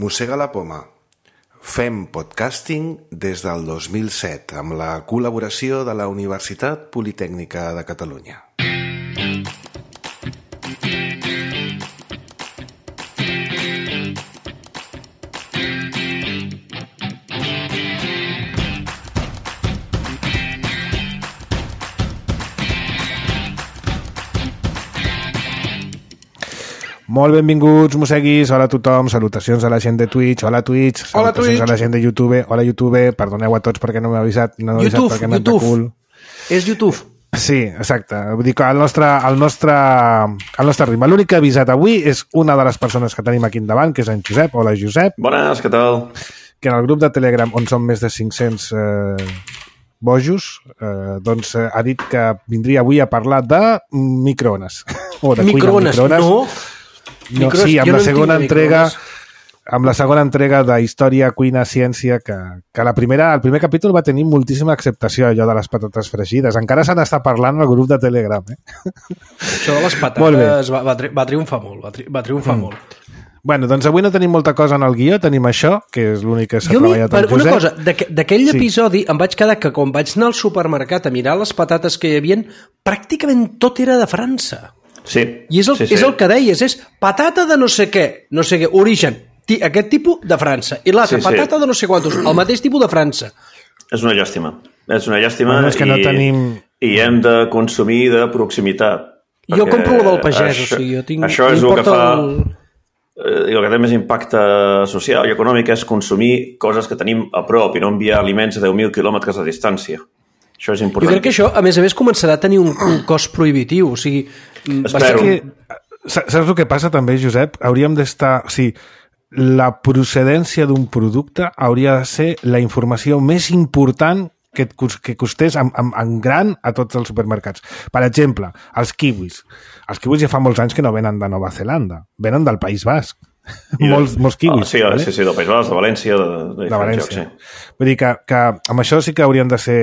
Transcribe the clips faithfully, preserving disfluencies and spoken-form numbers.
Mossega la poma. Fem podcasting des del dos mil set amb la col·laboració de la Universitat Politècnica de Catalunya. Molt benvinguts, mosseguis. Hola a tothom, salutacions a la gent de Twitch. Hola Twitch, Hola, salutacions Twitch. a la gent de YouTube. Hola YouTube, perdoneu a tots perquè no m'he avisat. No m'he YouTube, avisat perquè m'he anat de YouTube. cul. És YouTube. Sí, exacte. Vull dir que el nostre, el nostre, el nostre ritme. L'únic que he avisat avui és una de les persones que tenim aquí endavant, que és en Josep. Hola Josep. Bones, què tal? Que en el grup de Telegram, on són més de cinc-cents eh, bojos, eh, doncs eh, ha dit que vindria avui a parlar de microones. O de cuina amb Microones, microones. no? No, Micros- sí, amb jo la no en segona tinc de entrega microones. amb la segona entrega de Història, Cuina, Ciència, que, que la primera, el primer capítol va tenir moltíssima acceptació, allò de les patates fregides. Encara se n'està parlant al grup de Telegram. Eh? Això de les Molt bé. patates va, va, tri va triomfar molt. Va, tri va triomfar mm. molt. Bueno, doncs avui no tenim molta cosa en el guió, tenim això, que és l'únic que s'ha Jo, mi, treballat per amb una Josep. cosa, d'aqu- d'aquell Sí. episodi em vaig quedar que quan vaig anar al supermercat a mirar les patates que hi havia, pràcticament tot era de França. Sí. I és el, sí, sí, sí. és el que deies, és patata de no sé què, no sé què, origen, ti, aquest tipus de França, i l'altre, Sí, sí. patata de no sé quantos, el mateix tipus de França. És una llàstima. És una llàstima Bueno, és que i, no tenim- i hem de consumir de proximitat. Jo perquè compro la del pagès, això, o sigui, jo tinc... Això és el que m'importa fa... el- Eh, el que té més impacte social i econòmic és consumir coses que tenim a prop i no enviar aliments a deu mil quilòmetres de distància. Això és Jo important. crec que això, a més a més, començarà a tenir un, un cost prohibitiu. O sigui, mm, Espero. Que, sa- saps el que passa també, Josep? Hauríem d'estar... O sigui, la procedència d'un producte hauria de ser la informació més important que, et cos- que costés en, en, en gran a tots els supermercats. Per exemple, els kiwis. Els kiwis ja fa molts anys que no venen de Nova Zelanda, venen del País Basc. I de- molts, molts kiwis. Ah, sí, vale? sí, sí, del País Basc, de València, de, de, de diferents València. llocs, sí. Vull dir que, que amb això sí que haurien de ser...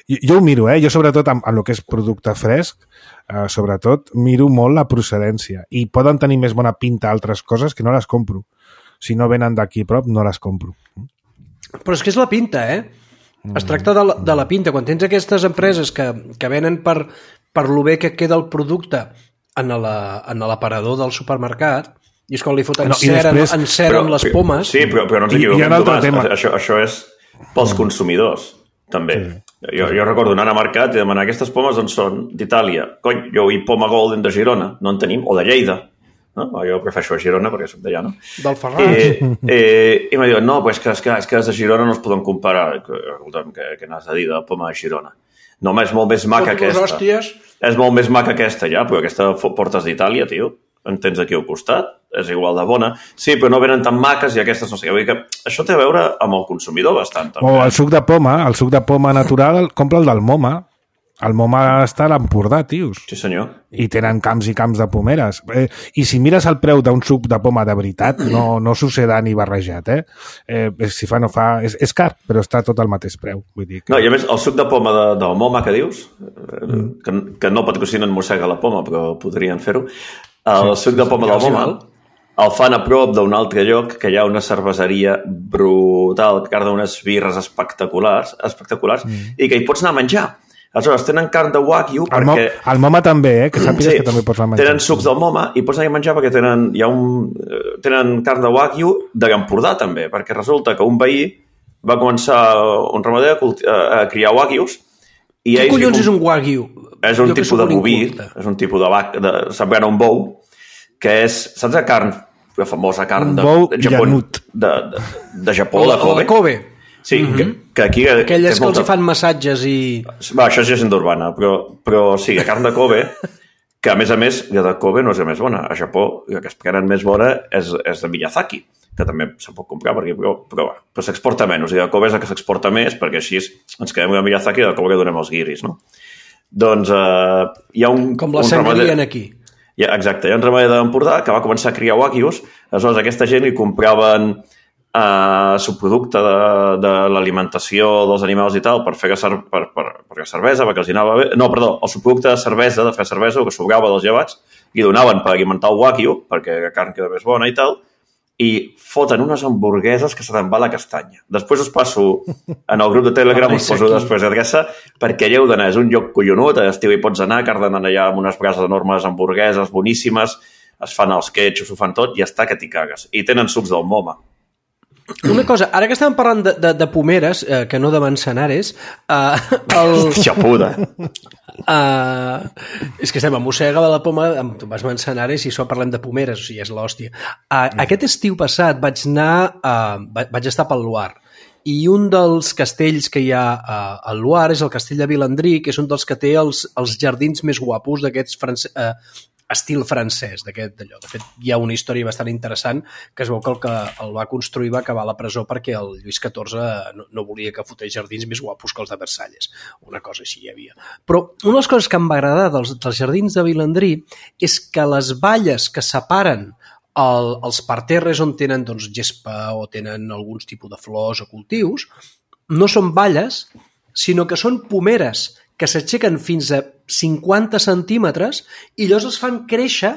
Jo, jo ho miro, eh? Jo sobretot amb, amb el que és producte fresc, eh, sobretot miro molt la procedència. I poden tenir més bona pinta altres coses que no les compro. Si no venen d'aquí a prop, no les compro. Però és que és la pinta, eh? Es tracta de la, de la pinta. Quan tens aquestes empreses que, que venen per, per lo bé que queda el producte en la- en l'aparador del supermercat, i és quan li foten No, i cera, després- en cera amb les pomes... Sí, però, però no ens I- i hi ha equivoquem, un altre Tomàs. tema. Això, això és pels consumidors, també. Sí. Jo, jo recordo anar a mercat i demanar aquestes pomes on són d'Itàlia. Cony, jo vull poma Golden de Girona, no en tenim, o de Lleida. No? Jo prefereixo a Girona perquè soc d'allà, no? Del Ferran. Eh, eh, I m'ha dit, no, pues que, és que, és que les de Girona no es poden comparar. Escolta'm, què, què n'has de dir de la poma de Girona? No, home, és molt més maca Foto les aquesta. hòsties. És molt més maca aquesta, ja, però aquesta fo- portes d'Itàlia, tio. En tens aquí al costat, és igual de bona. Sí, però no venen tan maques i aquestes no sé què. Vull dir que això té a veure amb el consumidor bastant, també. O el suc de poma, el suc de poma natural, compra el del Moma. El Moma està a l'Empordà, tios. Sí, senyor. I tenen camps i camps de pomeres. Eh, I si mires el preu d'un suc de poma de veritat, no, no suceda ni barrejat, eh? eh? Si fa, no fa... És, és car, però està tot al mateix preu. Vull dir que... No, i a més, el suc de poma de, del Moma que dius, mm. que, que no patrocinen Mossega la Poma, però podrien fer-ho, el sí, suc de poma sí, del sí, Moma val. el fan a prop d'un altre lloc que hi ha una cerveseria brutal, que carda unes birres espectaculars, espectaculars mm. i que hi pots anar a menjar. Aleshores, tenen carn de wagyu El, mo perquè... el Moma també, eh? Que sàpigues Sí, que també pots anar a menjar. tenen sucs del Moma i pots anar a menjar perquè tenen, hi ha un, eh, tenen carn de wagyu de l'Empordà també, perquè resulta que un veí va començar, un ramader, a, culti- a, a criar wagyus i Què ells... collons li és un wagyu? És un Jo que tipus sóc de un boví, inculte. és un tipus de vaca, de, semblant a un bou, que és, saps la carn, la famosa carn Un de, bou de Japó, llanut. de, de, de Japó, O de la, o Kobe? la Kobe. Sí, mm -hmm. que, que aquí... Aquelles és que els molta- hi fan massatges i... Va, això és llegenda urbana, però, però sí, la carn de Kobe, que a més a més, la de Kobe no és la més bona. A Japó, la que es prenen més bona és, és de Miyazaki, que també se pot comprar perquè, però, però, va, però s'exporta menys. I la Kobe és la que s'exporta més, perquè així ens quedem amb Miyazaki i de Kobe que donem els guiris, no? Doncs eh, hi ha un... Com la un sangarien ramader- aquí. Ja, exacte, hi ha un ramader d'Empordà que va començar a criar wagyus, aleshores aquesta gent li compraven eh, subproducte de, de l'alimentació dels animals i tal per fer cer per, per, per fer cervesa, perquè els hi anava bé. No, perdó, el subproducte de cervesa, de fer cervesa, el que sobrava dels llevats, li donaven per alimentar el wagyu, perquè la carn queda més bona i tal, i foten unes hamburgueses que se te'n va la castanya. Després us passo en el grup de Telegram, us poso després adreça, perquè allà heu d'anar, és un lloc collonut, a l'estiu hi pots anar, que d'anar allà amb unes brases enormes, hamburgueses boníssimes, es fan els ketchups, ho fan tot, i està que t'hi cagues. I tenen sucs del Moma. Una cosa, ara que estàvem parlant de, de, de pomeres, eh, que no de manzanares, eh, el... Xapuda. Uh, és que estem a mossega de la poma amb vas manzanares i això parlem de pomeres, o sigui, és l'hòstia. Uh, mm. Aquest estiu passat vaig anar, uh, vaig estar pel Loir, i un dels castells que hi ha uh, al Loir és el castell de Vilandrí, que és un dels que té els, els jardins més guapos d'aquests france... uh, estil francès, d'aquest d'allò. De fet, hi ha una història bastant interessant que es veu que el que el va construir va acabar a la presó perquè el Lluís catorze no, no volia que fotés jardins més guapos que els de Versalles. Una cosa així hi havia. Però una de les coses que em va agradar dels, dels jardins de Vilandrí és que les valles que separen el, els parterres on tenen doncs, gespa o tenen alguns tipus de flors o cultius no són valles, sinó que són pomeres que s'aixequen fins a cinquanta centímetres i llavors es fan créixer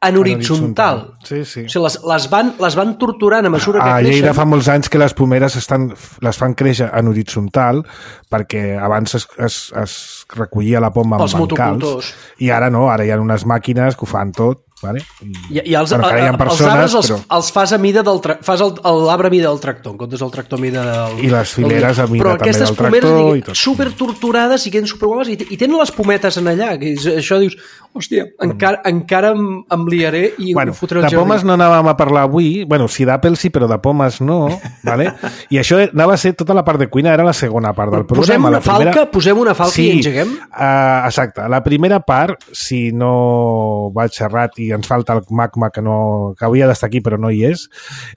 en horitzontal. Sí, sí. O sigui, les, les, van, les van torturant a mesura que a creixen. A Lleida fa molts anys que les pomeres estan, les fan créixer en horitzontal perquè abans es, es, es recollia la poma amb bancals i ara no, ara hi ha unes màquines que ho fan tot. Vale? I, I, i els, bueno, a, persones, els arbres els, però... els fas a mida del tra... fas l'arbre a mida del tractor, en comptes del tractor a mida del... I les fileres a mida però també del tractor. Però aquestes pomeres i tot. super torturades i queden superguaves i, i tenen les pometes en allà. Que és, això dius, hòstia, encara, encara em, em liaré i bueno, em fotré el de jardí. pomes no anàvem a parlar avui, bueno, sí d'Apple sí, però de pomes no, vale? I això anava a ser tota la part de cuina, era la segona part del programa. Posem una la primera... falca, posem una falca sí, i engeguem? Uh, exacte. La primera part, si no vaig xerrat i ens falta el Magma que, no, que havia d'estar aquí però no hi és,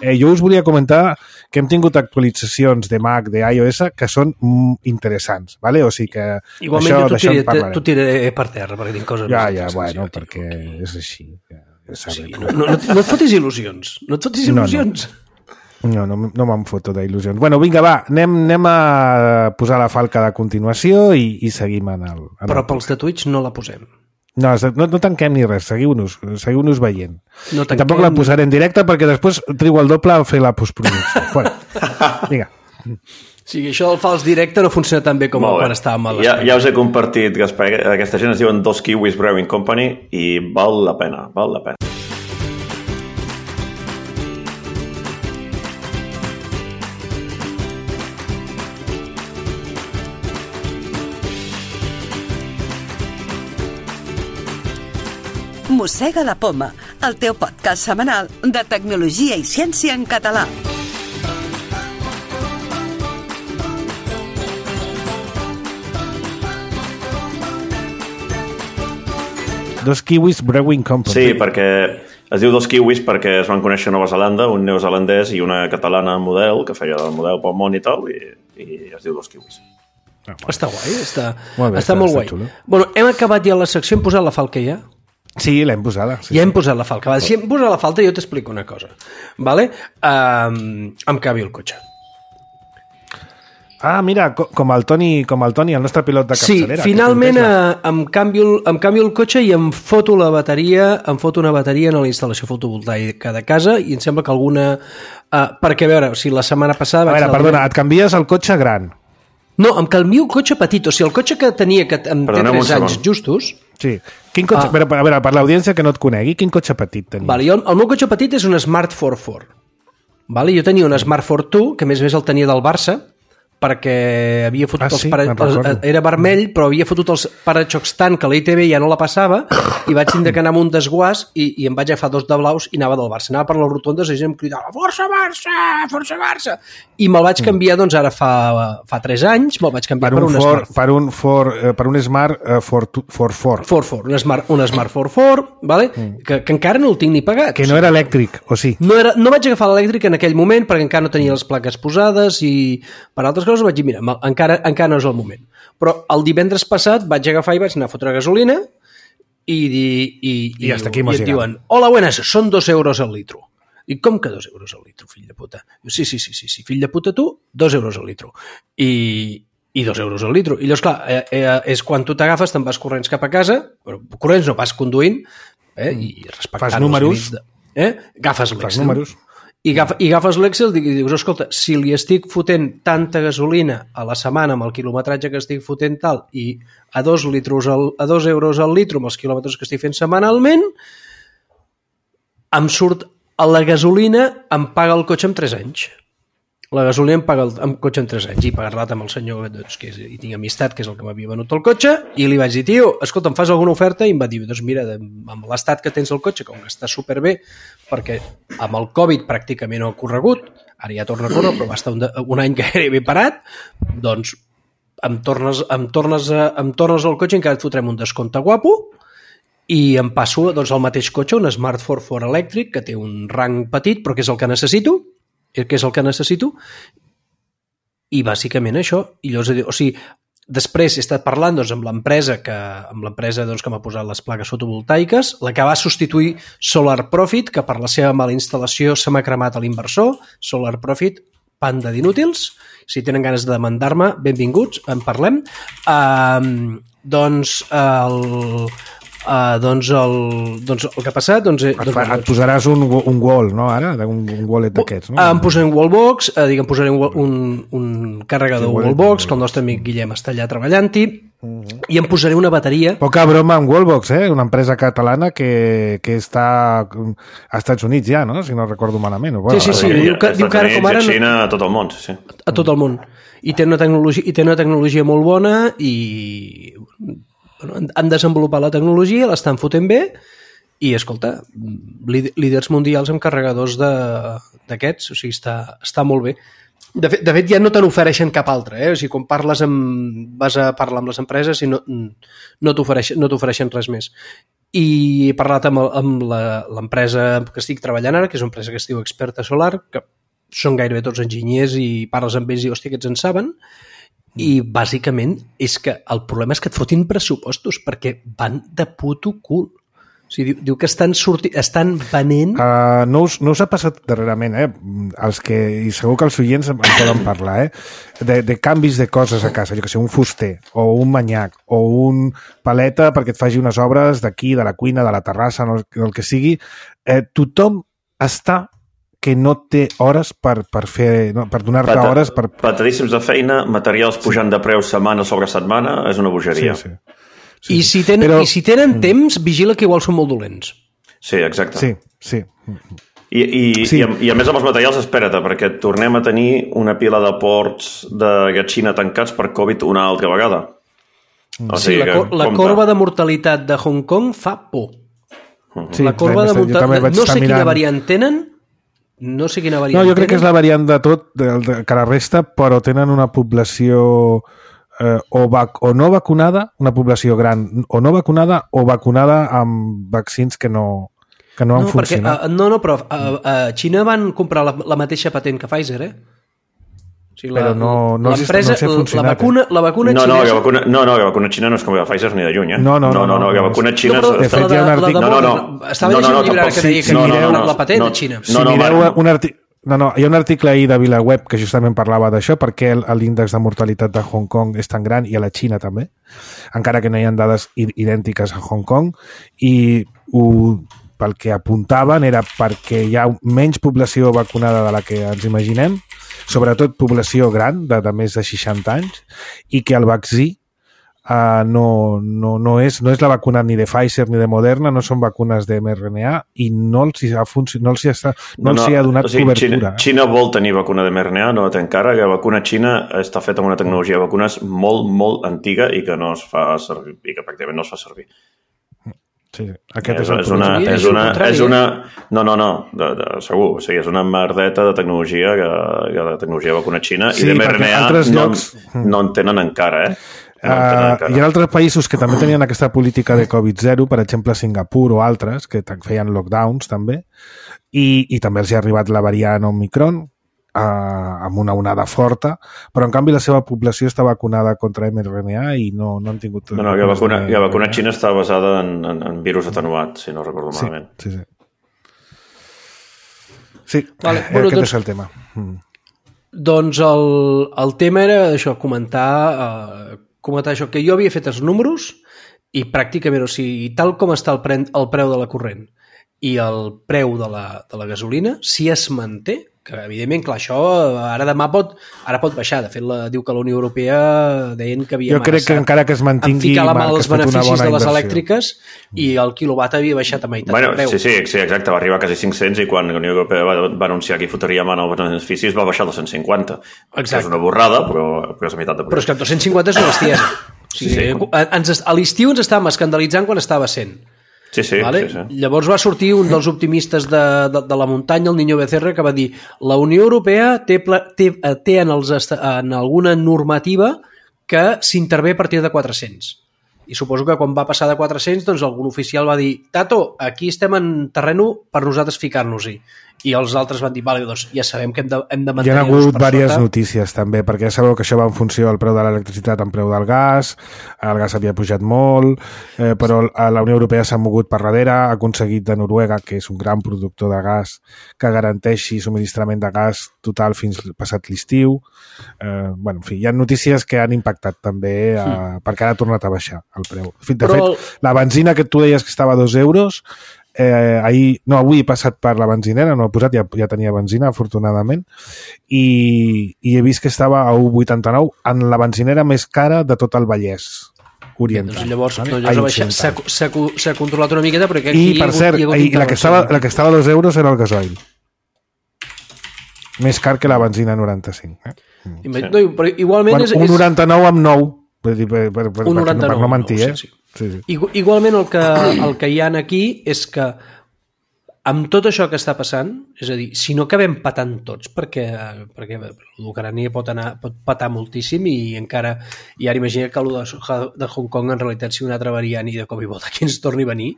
eh, jo us volia comentar que hem tingut actualitzacions de Mac, de iOS, que són mm, interessants, vale? O sigui que igualment això, jo t'ho tiraré, t'ho tiraré per terra perquè tinc coses ja, més ja, bueno, ja, perquè és així. Ja, ja sí, no, no, no, no et fotis il·lusions. No et fotis il·lusions. No, no, no, no me'n foto d'il·lusions. Bueno, vinga, va, anem, anem a posar la falca de continuació i, i seguim en el... En però el pels de Twitch no la posem. No, no, no tanquem ni res, seguiu-nos, seguiu-nos veient. No I tampoc la posaré en directe perquè després trigo el doble a fer la postproducció. Fora. Vinga. Sí, això del fals directe no funciona tan bé com quan estàvem a l'espai. Ja, ja us he compartit, Gaspar, aquesta gent es diuen Dos Kiwis Brewing Company i val la pena, val la pena. Mossega la Poma, el teu podcast setmanal de tecnologia i ciència en català. Dos Kiwis Brewing Company. Sí, perquè es diu Dos Kiwis perquè es van conèixer a Nova Zelanda, un neozelandès i una catalana model, que feia el model pel món i tal, i, i es diu Dos Kiwis. Ah, bueno. Està guai, està molt, bé, està, està molt guai. Xulo. Bueno, hem acabat ja la secció, hem posat la falca ja? Sí, l'hem posada. Sí, ja sí. hem posat la falca. Si hem posat la falta, jo t'explico una cosa. Vale? Um, em cabi el cotxe. Ah, mira, com el Toni, com el Toni, el nostre pilot de capçalera. Sí, finalment eh, em, canvio, em canvio el cotxe i em foto la bateria, em foto una bateria en la instal·lació fotovoltaica de casa i em sembla que alguna... Eh, perquè, a veure, o sigui, la setmana passada... A veure, perdona, et canvies el cotxe gran. No, em canvio el cotxe petit. O sigui, el cotxe que tenia, que em té tres anys justos... Sí. Quin cotxe, ah. A veure, per l'audiència que no et conegui, quin cotxe petit tenia? Vale, jo, el meu cotxe petit és un Smart quatre quatre. Vale, jo tenia un Smart quatre dos, que a més a més el tenia del Barça, perquè havia fotut ah, els sí, pare... era vermell, però havia fotut els paraxocs tant que la I T V ja no la passava i vaig tindre que anar amb un desguàs i, i em vaig agafar dos de blaus i anava del Barça. Anava per les rotondes i gent em cridava Força Barça! Força Barça! I me'l vaig canviar, doncs ara fa, fa tres anys, me'l vaig canviar per, per un, un for, Smart. Per un, for, per un Smart uh, quatre quatre. quatre quatre, un Smart, un Smart quatre quatre, vale? Mm. que, que encara no el tinc ni pagat. Que no era elèctric, o sí? No, era, no vaig agafar l'elèctric en aquell moment perquè encara no tenia les plaques posades i per altres coses vaig dir, mira, encara, encara no és el moment. Però el divendres passat vaig agafar i vaig anar a fotre gasolina i, i, i, I, i hasta aquí i et diuen, hola, buenas, són dos euros al litro. I com que dos euros al litro, fill de puta? Sí, sí, sí, sí, sí, fill de puta tu, dos euros al litro. I, i dos euros al litro. I llavors, clar, eh, eh, és quan tu t'agafes, te'n vas corrents cap a casa, però corrents no, vas conduint, eh, i respectant fas números, els de, eh, agafes l'extra. Fas números. I, agaf, i agafes l'Excel i dius, escolta, si li estic fotent tanta gasolina a la setmana amb el quilometratge que estic fotent tal i a dos, litros al, a dos euros al litro amb els quilòmetres que estic fent setmanalment, em surt a la gasolina, em paga el cotxe en tres anys. La gasolina em paga el, el cotxe en tres anys. I parlat amb el senyor, doncs, que és, hi tinc amistat, que és el que m'havia venut el cotxe, i li vaig dir, tio, escolta, em fas alguna oferta? I em va dir, doncs mira, amb l'estat que tens el cotxe, com que està superbé, perquè amb el Covid pràcticament no ha corregut, ara ja torna a córrer, però va estar un, un any gairebé parat, doncs em tornes, em tornes, a, em tornes el cotxe i encara et fotrem un descompte guapo, i em passo doncs, al mateix cotxe, un Smart quatre quatre elèctric, que té un rang petit, però que és el que necessito, que és el que necessito, i bàsicament això. I llavors, o sigui, després he estat parlant doncs, amb l'empresa que, amb l'empresa doncs, que m'ha posat les plaques fotovoltaiques, la que va substituir Solar Profit, que per la seva mala instal·lació se m'ha cremat a l'inversor. Solar Profit, panda d'inútils. Si tenen ganes de demandar-me, benvinguts, en parlem. Uh, doncs el... Uh, doncs, el, doncs el que ha passat doncs, et, doncs, fa, et posaràs un, un wall, no, ara? Un, un wallet d'aquests, no? Uh, em posaré un wallbox, uh, dic, em posaré un, un, un carregador sí, wallbox, que el nostre amic Guillem està allà treballant-hi, uh-huh. I em posaré una bateria. Poca broma amb Wallbox, eh? Una empresa catalana que, que està a Estats Units ja, no? Si no recordo malament. Bueno, sí, sí, sí. Diu que, diu que ara com ara... A Xina, a tot el món, sí. A tot el món. I té una tecnologia, i té una tecnologia molt bona i... han desenvolupat la tecnologia, l'estan fotent bé i, escolta, líders mundials amb carregadors d'aquests, o sigui, està, està molt bé. De fet, de fet, ja no te n'ofereixen cap altre, eh? O sigui, quan parles amb, vas a parlar amb les empreses i no, no t'ofereixen no t'ofereixen res més. I he parlat amb, amb l'empresa que estic treballant ara, que és una empresa que es diu Experta Solar, que són gairebé tots enginyers i parles amb ells i, hòstia, que aquests en saben. I bàsicament és que el problema és que et fotin pressupostos perquè van de puto cul. O sigui, diu, diu que estan, sorti, estan venent... Uh, no, us, no us ha passat darrerament, eh? Els que, i segur que els oients en poden parlar, eh? De, de canvis de coses a casa, jo que sé, un fuster, o un manyac, o un paleta perquè et faci unes obres d'aquí, de la cuina, de la terrassa, no, el que sigui. Eh, tothom està que no té hores per, per fer, no, per donar-te Pata, hores per... Patadíssims de feina, materials pujant sí. de preu setmana sobre setmana, és una bogeria. Sí, sí. Sí, I, si tenen, però... I si tenen temps, vigila que igual són molt dolents. Sí, exacte. Sí, sí. I, i, sí. i, a, I a més amb els materials, espera't, perquè tornem a tenir una pila de ports de Xina tancats per Covid una altra vegada. O sigui, sí, la, cor la corba de mortalitat de Hong Kong fa por. Sí, la corba de mortalitat... No sé quina mirant... variant tenen, no sé quina variant No, jo crec tenen. que és la variant de tot, de, de, que la resta, però tenen una població eh, o, vac, o no vacunada, una població gran, o no vacunada, o vacunada amb vaccins que no, que no han no, funcionat. Perquè, uh, no, no, però a, a Xina van comprar la, la mateixa patent que Pfizer, eh? O sigui, la, però no, no, no sé funcionat. La vacuna, la vacuna no, xinesa... No, la vacuna, no, no, la vacuna xina no és com la Pfizer ni de lluny, eh? No, no, no. no, no, no la vacuna xina... No, però, de fet, hi ha un article... No, no, no. Estava llegint un llibre que deia que no, no, no, la patent de Xina. Si mireu un article... No, no, hi ha un article ahir de VilaWeb que justament parlava d'això, perquè l'índex de mortalitat de Hong Kong és tan gran, i a la Xina també, encara que no hi ha dades idèntiques a Hong Kong, i ho, pel que apuntaven era perquè hi ha menys població vacunada de la que ens imaginem, sobretot població gran, de, de més de seixanta anys, i que el vaccí Uh, no, no, no, és, no és la vacuna ni de Pfizer ni de Moderna, no són vacunes de mRNA i no els hi ha, no els hi ha, no els hi ha donat o sigui, cobertura. Xina, Xina vol tenir vacuna de mRNA, no la té encara. La vacuna xina està feta amb una tecnologia de vacunes molt, molt antiga i que no es fa servir, i que pràcticament no es fa servir. Sí, aquest és, és, és, una, és, una, és una... No, no, no, de, de, segur. O sigui, és una merdeta de tecnologia, que, que de tecnologia de vacuna xina, sí, i de mRNA no, llocs... no en tenen encara, eh? Uh, hi ha altres països que també tenien aquesta política de Covid zero, per exemple Singapur o altres, que feien lockdowns també, i, i també els hi ha arribat la variant Omicron uh, amb una onada forta, però en canvi la seva població està vacunada contra mRNA i no, no han tingut... No, no, la vacuna, de... la vacuna xina està basada en, en, en virus atenuat, si no recordo sí, malament. Sí, sí. Sí, vale, bueno, aquest doncs, és el tema. Mm. Doncs el, el tema era això, comentar... Uh, comentar això, que jo havia fet els números i pràcticament, o sigui, tal com està el, pre el preu de la corrent i el preu de la, de la gasolina, si es manté, que evidentment, clar, això ara demà pot, ara pot baixar. De fet, la, diu que la Unió Europea deien que havia jo crec que encara que es mantingui ficar la mà als una beneficis bona de les inversió. elèctriques i el quilowatt havia baixat a meitat Bueno, de preu. sí, sí, sí, exacte, va arribar a quasi cinc-cents i quan la Unió Europea va, va anunciar que hi fotria mà en els beneficis va baixar a dos-cents cinquanta. Exacte. És una borrada, però, però és la meitat de preu. Però és que dos-cents cinquanta és una bestiesa. O sigui, Sí, sí. ens, a l'estiu ens estàvem escandalitzant quan estava cent. Sí, sí, Vale? sí, sí. Llavors va sortir un dels optimistes de, de, de la muntanya, el Niño Becerra, que va dir la Unió Europea té, pla- té, té en, els, est- en alguna normativa que s'intervé a partir de quatre-cents. I suposo que quan va passar de quatre-cents, doncs algun oficial va dir Tato, aquí estem en terreno per nosaltres ficar-nos-hi. I els altres van dir, vale, doncs ja sabem que hem de, hem de Hi ha mantenir-nos hagut per diverses sota. notícies també, perquè ja sabeu que això va en funció del preu de l'electricitat en preu del gas, el gas havia pujat molt, eh, però a la Unió Europea s'ha mogut per darrere, ha aconseguit de Noruega, que és un gran productor de gas, que garanteixi subministrament de gas total fins passat l'estiu. Eh, bueno, en fi, hi ha notícies que han impactat també, eh, mm. perquè ara ha tornat a baixar el preu. De fet, Però el- la benzina que tu deies que estava a dos euros, eh, ahir, no, avui he passat per la benzinera, no he posat, ja, ja tenia benzina, afortunadament, i, i he vist que estava a un coma vuitanta-nou en la benzinera més cara de tot el Vallès Oriental. Doncs llavors, vale? doncs, llavors A ha baixat, s'ha, occidental. s'ha, co- s'ha controlat una miqueta perquè aquí I, per cert, hi ha hagut i la, que estava, la que estava a dos euros era el gasoil. Més car que la benzina noranta-cinc. Eh? Ima- No, però igualment Bueno, és, un és noranta-nou amb nou, per, dir, per, per, per, un per, noranta-nou, per no mentir, no, eh? sí, sí. Sí, sí. Igu- igualment el que, el que hi ha aquí és que amb tot això que està passant, és a dir, si no acabem patant tots, perquè, perquè l'Ucrània pot, anar, pot patar moltíssim i encara, i ara imagina que el de, de Hong Kong en realitat sigui una altra variant i de cop i volta aquí ens torni a venir,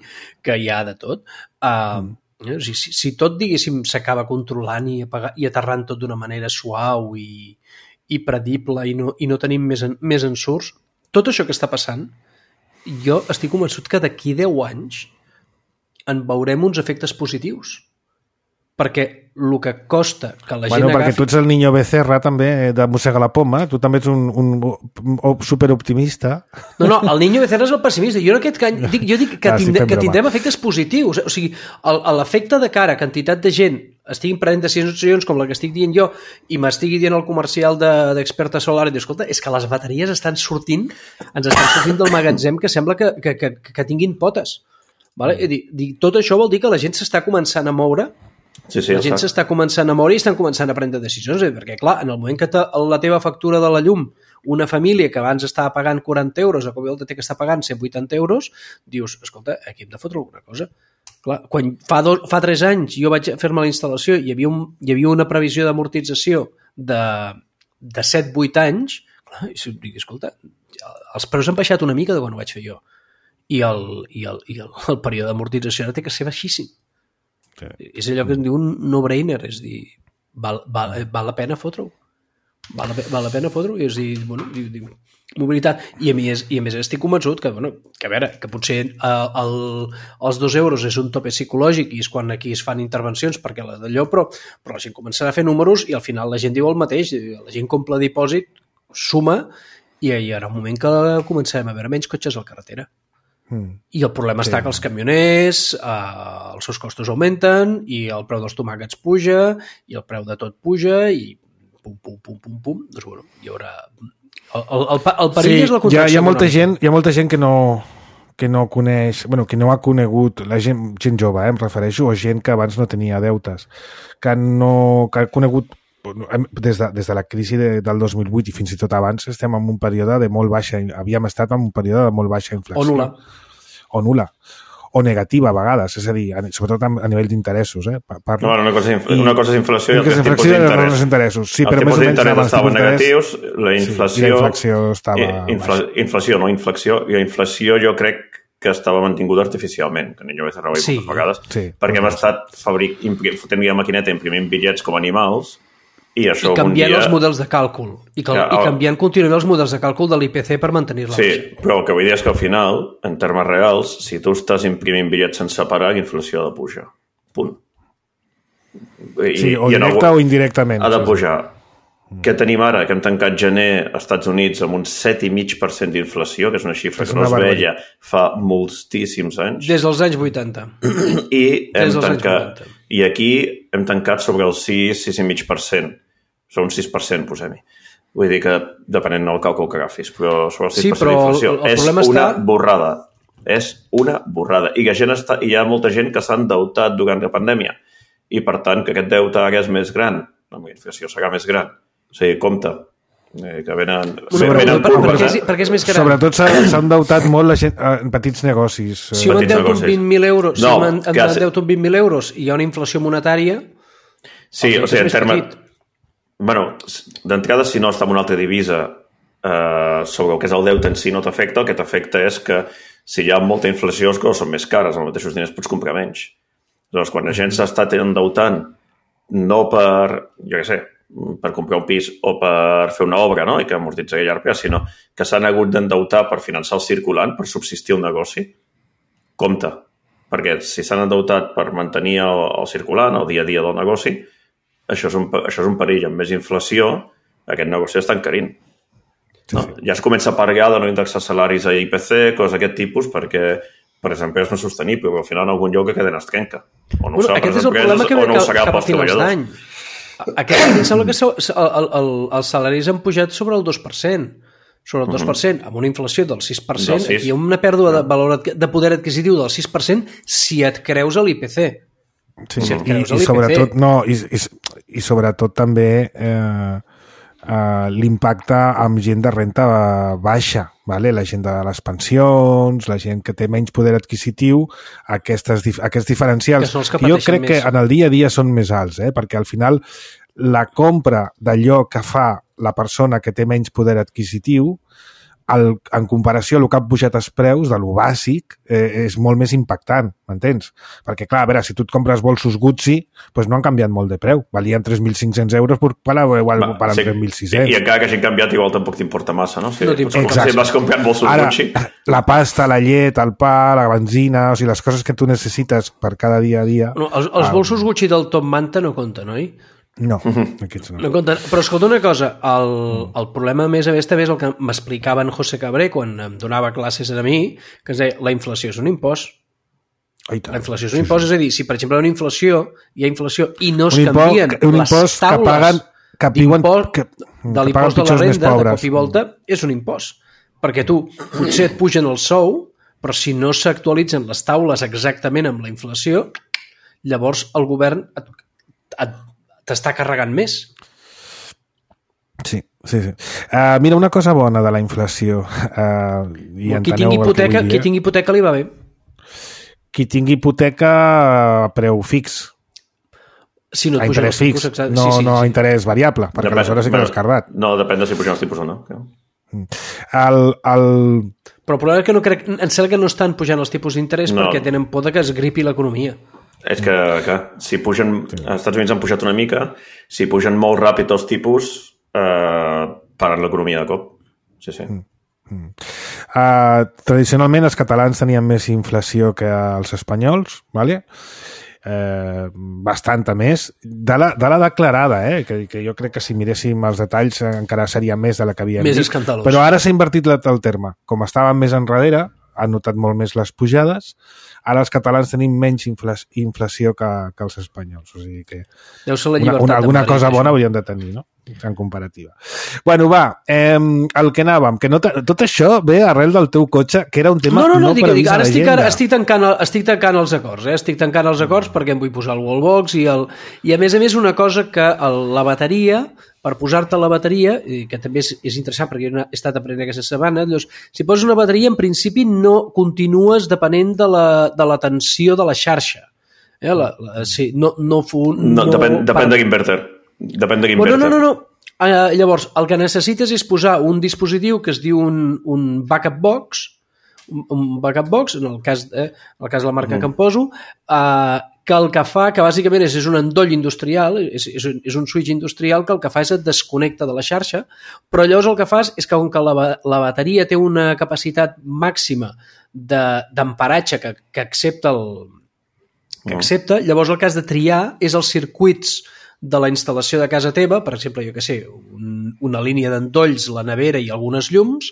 que hi ha de tot. Uh, mm. O sigui, si, si tot, diguéssim, s'acaba controlant i, apagar, i aterrant tot d'una manera suau i, i predible i no, i no tenim més, en, més ensurts, tot això que està passant, jo estic convençut que d'aquí deu anys en veurem uns efectes positius. Perquè el que costa que la Bueno, gent perquè agafi... tu ets el Niño Becerra també, de mossega la poma, tu també ets un, un, un superoptimista. No, no, el Niño Becerra és el pessimista. Jo, en aquest cas, dic, jo dic que, Ah, sí, tindre, fem que broma. tindrem efectes positius. O sigui, el- l'efecte de cara, quantitat de gent estiguin prenent decisions com la que estic dient jo i m'estigui dient el comercial d'Experta de, Solar i diu, escolta, és que les bateries estan sortint, ens estan sortint del magatzem que sembla que, que, que, que tinguin potes. Vale? Mm. Dic, dic, tot això vol dir que la gent s'està començant a moure, Sí, sí, la gent està. s'està començant a moure i estan començant a prendre decisions, eh? Perquè clar, en el moment que te, la teva factura de la llum, una família que abans estava pagant quaranta euros, a cop i volta té que estar pagant cent vuitanta euros, dius, escolta, aquí hem de fotre alguna cosa. Clar, quan fa, do, fa tres anys jo vaig fer-me la instal·lació i hi havia, un, hi havia una previsió d'amortització de, de set vuit anys, clar, i dic, escolta, els preus han baixat una mica de quan ho vaig fer jo. I el, i el, i el, el període d'amortització ara té que ser baixíssim. Sí. És allò que es diu un no-brainer, és dir, val, val, val la pena fotre-ho. Val, la, val la pena fotre-ho. I és dir, bueno, diu, diu, mobilitat. I a, més, I a més estic convençut que, bueno, que a veure, que potser el, el, els dos euros és un tope psicològic i és quan aquí es fan intervencions perquè la d'allò, però, però la gent començarà a fer números i al final la gent diu el mateix, la gent compra dipòsit, suma i hi haurà un moment que començarem a veure menys cotxes a la carretera. Mm. I el problema sí. està que els camioners, eh, els seus costos augmenten i el preu dels tomàquets puja i el preu de tot puja i pum, pum, pum, pum, pum. Doncs, bueno, hi haurà... El, el, el, el perill sí, és la contracció hi ha, hi ha molta econòmica. gent, hi ha molta gent que no, que no coneix, bueno, que no ha conegut, la gent, gent jove, eh, em refereixo, o gent que abans no tenia deutes, que, no, que ha conegut des de, des de la crisi de, del dos mil vuit i fins i tot abans estem en un període de molt baixa, havíem estat en un període de molt baixa inflació. O nula. O nula. O negativa a vegades, és a dir, sobretot a nivell d'interessos. Eh? Parlo. No, una cosa, és, una cosa és inflació i altres tipus d'interès. Interessos. Sí, el però tipus més o menys d'interès estaven negatius, la inflació... Sí, la inflació estava... Infla, inflació, no inflació. I la inflació jo crec que estava mantinguda artificialment, que jo vaig arreuar sí, moltes vegades, sí, perquè hem estat fabric, fotent la maquineta imprimint bitllets com animals i això I canviant dia... els models de càlcul. I, cal... Ja, I canviant contínuament els models de càlcul de l'I P C per mantenir-los. Sí, però el que vull dir és que al final, en termes reals, si tu estàs imprimint bitllets sense parar, la inflació ha de pujar. Punt. I, sí, o i directa algú... o indirectament. Ha de pujar. Què tenim ara? Que hem tancat gener als Estats Units amb un set coma cinc per cent d'inflació, que és una xifra que no es veia fa moltíssims anys. Des dels anys vuitanta. I, hem tancat, i aquí hem tancat sobre el sis, sis coma cinc per cent. Sobre un sis per cent, posem-hi. Vull dir que, depenent del càlcul que agafis, però sobre el sis per cent sí, d'inflació. El, el és una està... borrada. És una borrada. I que gent està, hi ha molta gent que s'ha endeutat durant la pandèmia. I, per tant, que aquest deute ara és més gran. La inflació serà més gran. O sigui, compte, eh, que venen... Bueno, venen per, per, perquè, és, perquè és més gran. Sobretot s'ha endeutat molt la gent, en petits negocis. Si jo m'endeuto amb vint mil euros, no, si m'endeuto amb vint mil euros i hi ha una inflació monetària... Sí, o sigui, en termes... Bueno, d'entrada, si no està en una altra divisa, eh, sobre el que és el deute en si no t'afecta, el que t'afecta és que si hi ha molta inflació, les coses són més cares, els mateixos diners pots comprar menys. Llavors, quan la gent s'ha estat endeutant, no per, jo què sé, per comprar un pis o per fer una obra, no? I que amortitzaria llarg, sinó que s'han hagut d'endeutar per finançar el circulant, per subsistir un negoci, compte. Perquè si s'han endeutat per mantenir el, el circulant, el dia a dia del negoci, això és un, això és un perill. Amb més inflació, aquest negoci està encarint. No? Sí, sí. Ja es comença a parlar de no indexar salaris a I P C, coses d'aquest tipus, perquè per exemple, és més sostenible, però al final en algun lloc que cadena es trenca. O no bueno, serà aquest és el problema que ve no cap, cap a finals d'any. Aquest any em sembla que el, el, el, els salaris han pujat sobre el dos per cent. Sobre el dos per cent, amb una inflació del sis per cent, del sis. Aquí hi ha una pèrdua de valor de poder adquisitiu del sis per cent si et creus a l'I P C. Sí, si et creus i, a l'I P C. I sobretot, no, i, i, i sobretot també eh, eh, l'impacte amb gent de renta baixa, vale? La gent de les pensions, la gent que té menys poder adquisitiu, aquestes, aquests diferencials. Que jo crec més. Que en el dia a dia són més alts, eh? Perquè al final la compra d'allò que fa la persona que té menys poder adquisitiu, el, en comparació a el que han pujat els preus de lo bàsic, eh, és molt més impactant, m'entens? Perquè, clar, a veure, si tu et compres bolsos Gucci, doncs no han canviat molt de preu. Valien tres mil cinc-cents euros, però ara igual valen sí, tres mil sis-cents. I encara que hagin canviat, igual tampoc t'importa massa, no? Si, no t'importa. Si vas comprant bolsos ara, Gucci... La pasta, la llet, el pa, la benzina, o sigui, les coses que tu necessites per cada dia a dia... No, els, els bolsos ah, Gucci del Top Manta no compten, oi? No, aquests no. no compten. Però escolta una cosa, el, el problema a més a més també és el que m'explicava en José Cabré quan em donava classes a mi, que és dir, la inflació és un impost. La inflació és un impost, sí, sí. És a dir, si per exemple hi ha una inflació, hi ha inflació i no es un canvien impost, les taules que paguen, que d'impost que, de l'impost de la renda, de cop i volta, és un impost. Perquè tu, potser et pugen el sou, però si no s'actualitzen les taules exactament amb la inflació, llavors el govern et, et t'està carregant més. Sí, sí, sí. Uh, mira, una cosa bona de la inflació. Uh, i qui, tingui hipoteca, qui tingui hipoteca li va bé. Qui tingui hipoteca a preu fix. Si no et a pugen interès els tipus, fix, exacte. no, sí, sí, no sí. interès variable, perquè depèn, aleshores sí que l'has cardat. No, depèn de si pugen els tipus o no. El, el... Però el problema és que no crec, em sembla que no estan pujant els tipus d'interès no. perquè tenen por de que es gripi l'economia. És que, que si pugen... Als Estats Units han pujat una mica, si pugen molt ràpid els tipus, eh, paren l'economia de cop. Sí, sí. Mm. Mm. Uh, tradicionalment els catalans tenien més inflació que els espanyols, ¿vale? Eh, bastanta més de la, de la declarada, eh? que, que jo crec que si miréssim els detalls encara seria més de la que havíem més dit. Escandalós. Però ara s'ha invertit el terme. Com estàvem més enrere, han notat molt més les pujades. Ara els catalans tenim menys inflació que, que els espanyols. O sigui que deu ser la una, una, alguna cosa bona hauríem de tenir, no? En comparativa. Bueno, va, eh, el que anàvem, que no tot això ve arrel del teu cotxe, que era un tema no, no, no, no dic, dic, ara estic, ara estic, tancant, estic tancant els acords, eh? Estic tancant els acords perquè em vull posar el wallbox i, el, i a més a més una cosa que el, la bateria, per posar-te la bateria, i que també és, és interessant perquè jo he estat aprenent aquesta setmana, llavors, si poses una bateria en principi no continues depenent de la, de la tensió de la xarxa. Eh? La, la, sí, no, no, fu, no, no depèn, depèn de l'inverter. Depèn de bueno, no, no, no. Uh, llavors, el que necessites és posar un dispositiu que es diu un, un backup box, un, un backup box, en el cas, eh, en el cas de la marca mm. que em poso, uh, que el que fa, que bàsicament és, és un endoll industrial, és, és, un, és un switch industrial que el que fa és et desconnecta de la xarxa, però llavors el que fas és que com que la, la bateria té una capacitat màxima d'emparatge que, que accepta el, que accepta, llavors el que has de triar és els circuits de la instal·lació de casa teva, per exemple, jo què sé, un, una línia d'endolls, la nevera i algunes llums,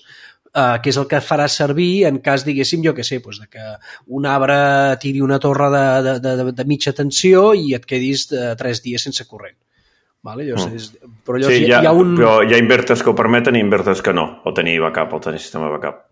eh, que és el que farà servir en cas, diguéssim, jo què sé, doncs de que un arbre tiri una torre de, de, de, de mitja tensió i et quedis de tres dies sense corrent. Vale? Llavors, Mm. és, però llavors Sí, hi, hi ha, hi ha un... però hi ha inverters que ho permeten i inverters que no, o tenir backup, o tenir sistema backup.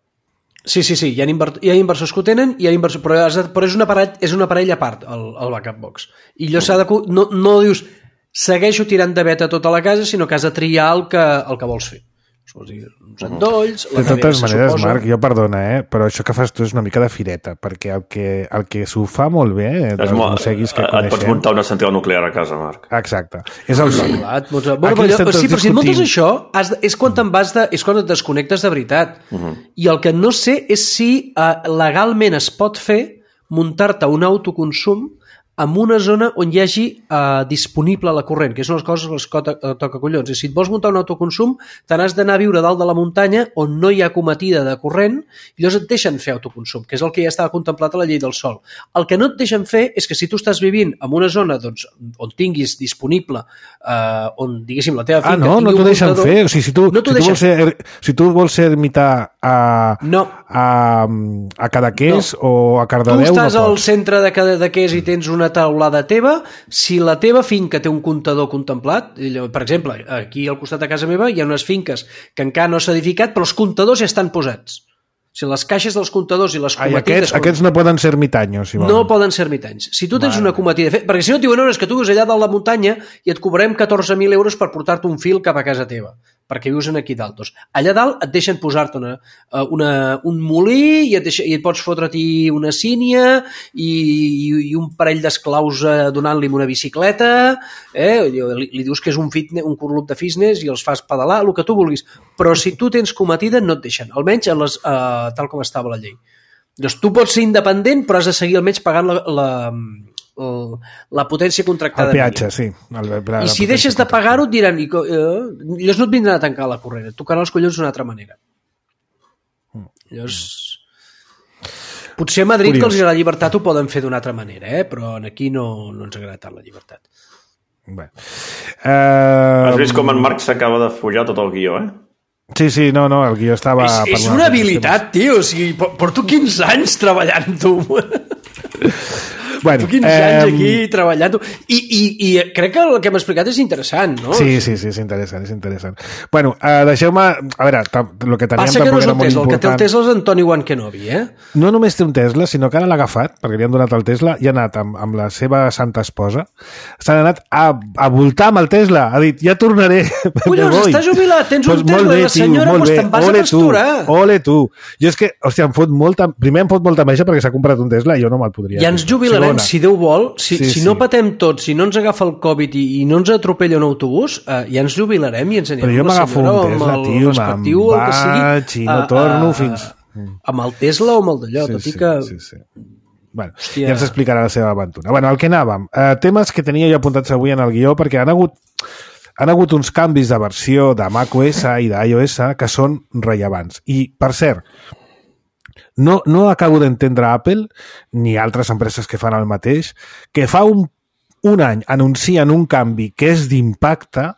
Sí, sí, sí, hi ha, inver... hi ha inversors que ho tenen, hi ha inversors... però, has de... però és, un aparell, és un aparell a part, el, el backup box. I allò s'ha de... No, no dius, segueixo tirant de beta tota la casa, sinó que has de triar el que, el que vols fer. Vols dir, uns endolls, la De nevera, totes se maneres, suposa... Marc, jo perdona, eh? però això que fas tu és una mica de fireta, perquè el que, el que s'ho fa molt bé, eh, dels molt, museguis que et coneixem... pots muntar una central nuclear a casa, Marc. Exacte, és el joc. Clar, et muntes- Bueno, Aquí però, estem allò, tots sí, però si et muntes discutint. això, has de, és quan te'n vas de, és quan et desconnectes de veritat. Uh -huh. I el que no sé és si uh, legalment es pot fer muntar-te un autoconsum en una zona on hi hagi uh, disponible la corrent, que és una de les coses que les toca, toca collons. I si et vols muntar un autoconsum, te n'has d'anar a viure dalt de la muntanya on no hi ha cometida de corrent i llavors et deixen fer autoconsum, que és el que ja estava contemplat a la llei del sol. El que no et deixen fer és que si tu estàs vivint en una zona doncs, on tinguis disponible, uh, on, diguéssim, la teva finca... Ah, no? tingui No un t'ho deixen muntador, fer? O sigui, si tu, no t'ho si tu, deixen vols, ser, si tu vols ser ermità a, No. a, a Cadaqués No. o a Tu Cardedeu, estàs no al pots. centre de Cadaqués i tens una taulada teva, si la teva finca té un comptador contemplat, per exemple, aquí al costat de casa meva hi ha unes finques que encara no s'ha edificat, però els comptadors ja estan posats. O sigui, les caixes dels comptadors i les Ai, cometides... aquests, aquests no poden ser ermitanyos, si no volen. poden ser ermitanys. Si tu tens una cometida... Perquè si no et diuen, no, és que tu vius allà dalt la muntanya i et cobrem catorze mil euros per portar-te un fil cap a casa teva, perquè vius aquí dalt. Doncs, allà dalt et deixen posar-te una, una, un molí i et, deixa, i et pots fotre-t'hi una sínia i, i, i un parell d'esclaus eh, donant-li una bicicleta, eh? li, li dius que és un, fitness, un club de fitness i els fas pedalar, el que tu vulguis. Però si tu tens cometida no et deixen, almenys a les, eh, tal com estava la llei. Doncs tu pots ser independent, però has de seguir almenys pagant la, la, la, la potència contractada. El peatge, sí. El, la, la I si deixes de pagar-ho et diran, i, eh, llavors no et vindran a tancar la corrent, et tocaran els collons d'una altra manera. Llavors... Potser a Madrid, Curiós. que els agrada la llibertat, ho poden fer d'una altra manera, eh? Però aquí no, no ens agrada tant la llibertat. Bé. Uh, Has vist com en Marc s'acaba de follar tot el guió, eh? Sí, sí, no, no, el guió estava... És, és parlant una d'aquests habilitat, tio. O sigui, por- porto quinze anys treballant-ho. temes. Bueno, quinze anys ehm, aquí treballant-ho. I, i, I crec que el que hem explicat és interessant, no? Sí, sí, sí, és interessant, és interessant. Bueno, uh, deixeu-me... A veure, el que teníem Passa que no tampoc és era el molt Tesla, el que té el important. Tesla és Antoni Wan Kenobi, eh? No només té un Tesla, sinó que ara l'ha agafat, perquè li han donat el Tesla, i ha anat amb, amb la seva santa esposa, s'han anat a, a voltar amb el Tesla, ha dit, ja tornaré. Collons, me voy. està jubilat, tens un Tesla, i la senyora, molt doncs bé. te'n vas a Ole pasturar. Tu, ole tu. Jo és que, hòstia, em fot molta... Primer em fot molta enveja perquè s'ha comprat un Tesla i jo no me'l podria. Ja ens comprar. jubilarem, Segona. si Déu vol, si, Sí, si no sí. patem tots, si no ens agafa el Covid i, i no ens atropella un autobús, eh, ja ens jubilarem i ens anirem Però jo amb la m'agafo un senyora o amb Tesla, el tio, me'n respectiu, el que sigui, vaig i no a- torno a- fins... amb el Tesla o amb el d'allò, Sí, tot i sí, que... sí, sí. Bueno, Hòstia. ja ens explicarà la seva aventura. Bueno, al que anàvem. Eh, temes que tenia jo apuntats avui en el guió perquè han hagut, han hagut uns canvis de versió de macOS i d'iOS que són rellevants. I, per cert, no, no acabo d'entendre Apple, ni altres empreses que fan el mateix, que fa un, un any anuncien un canvi que és d'impacte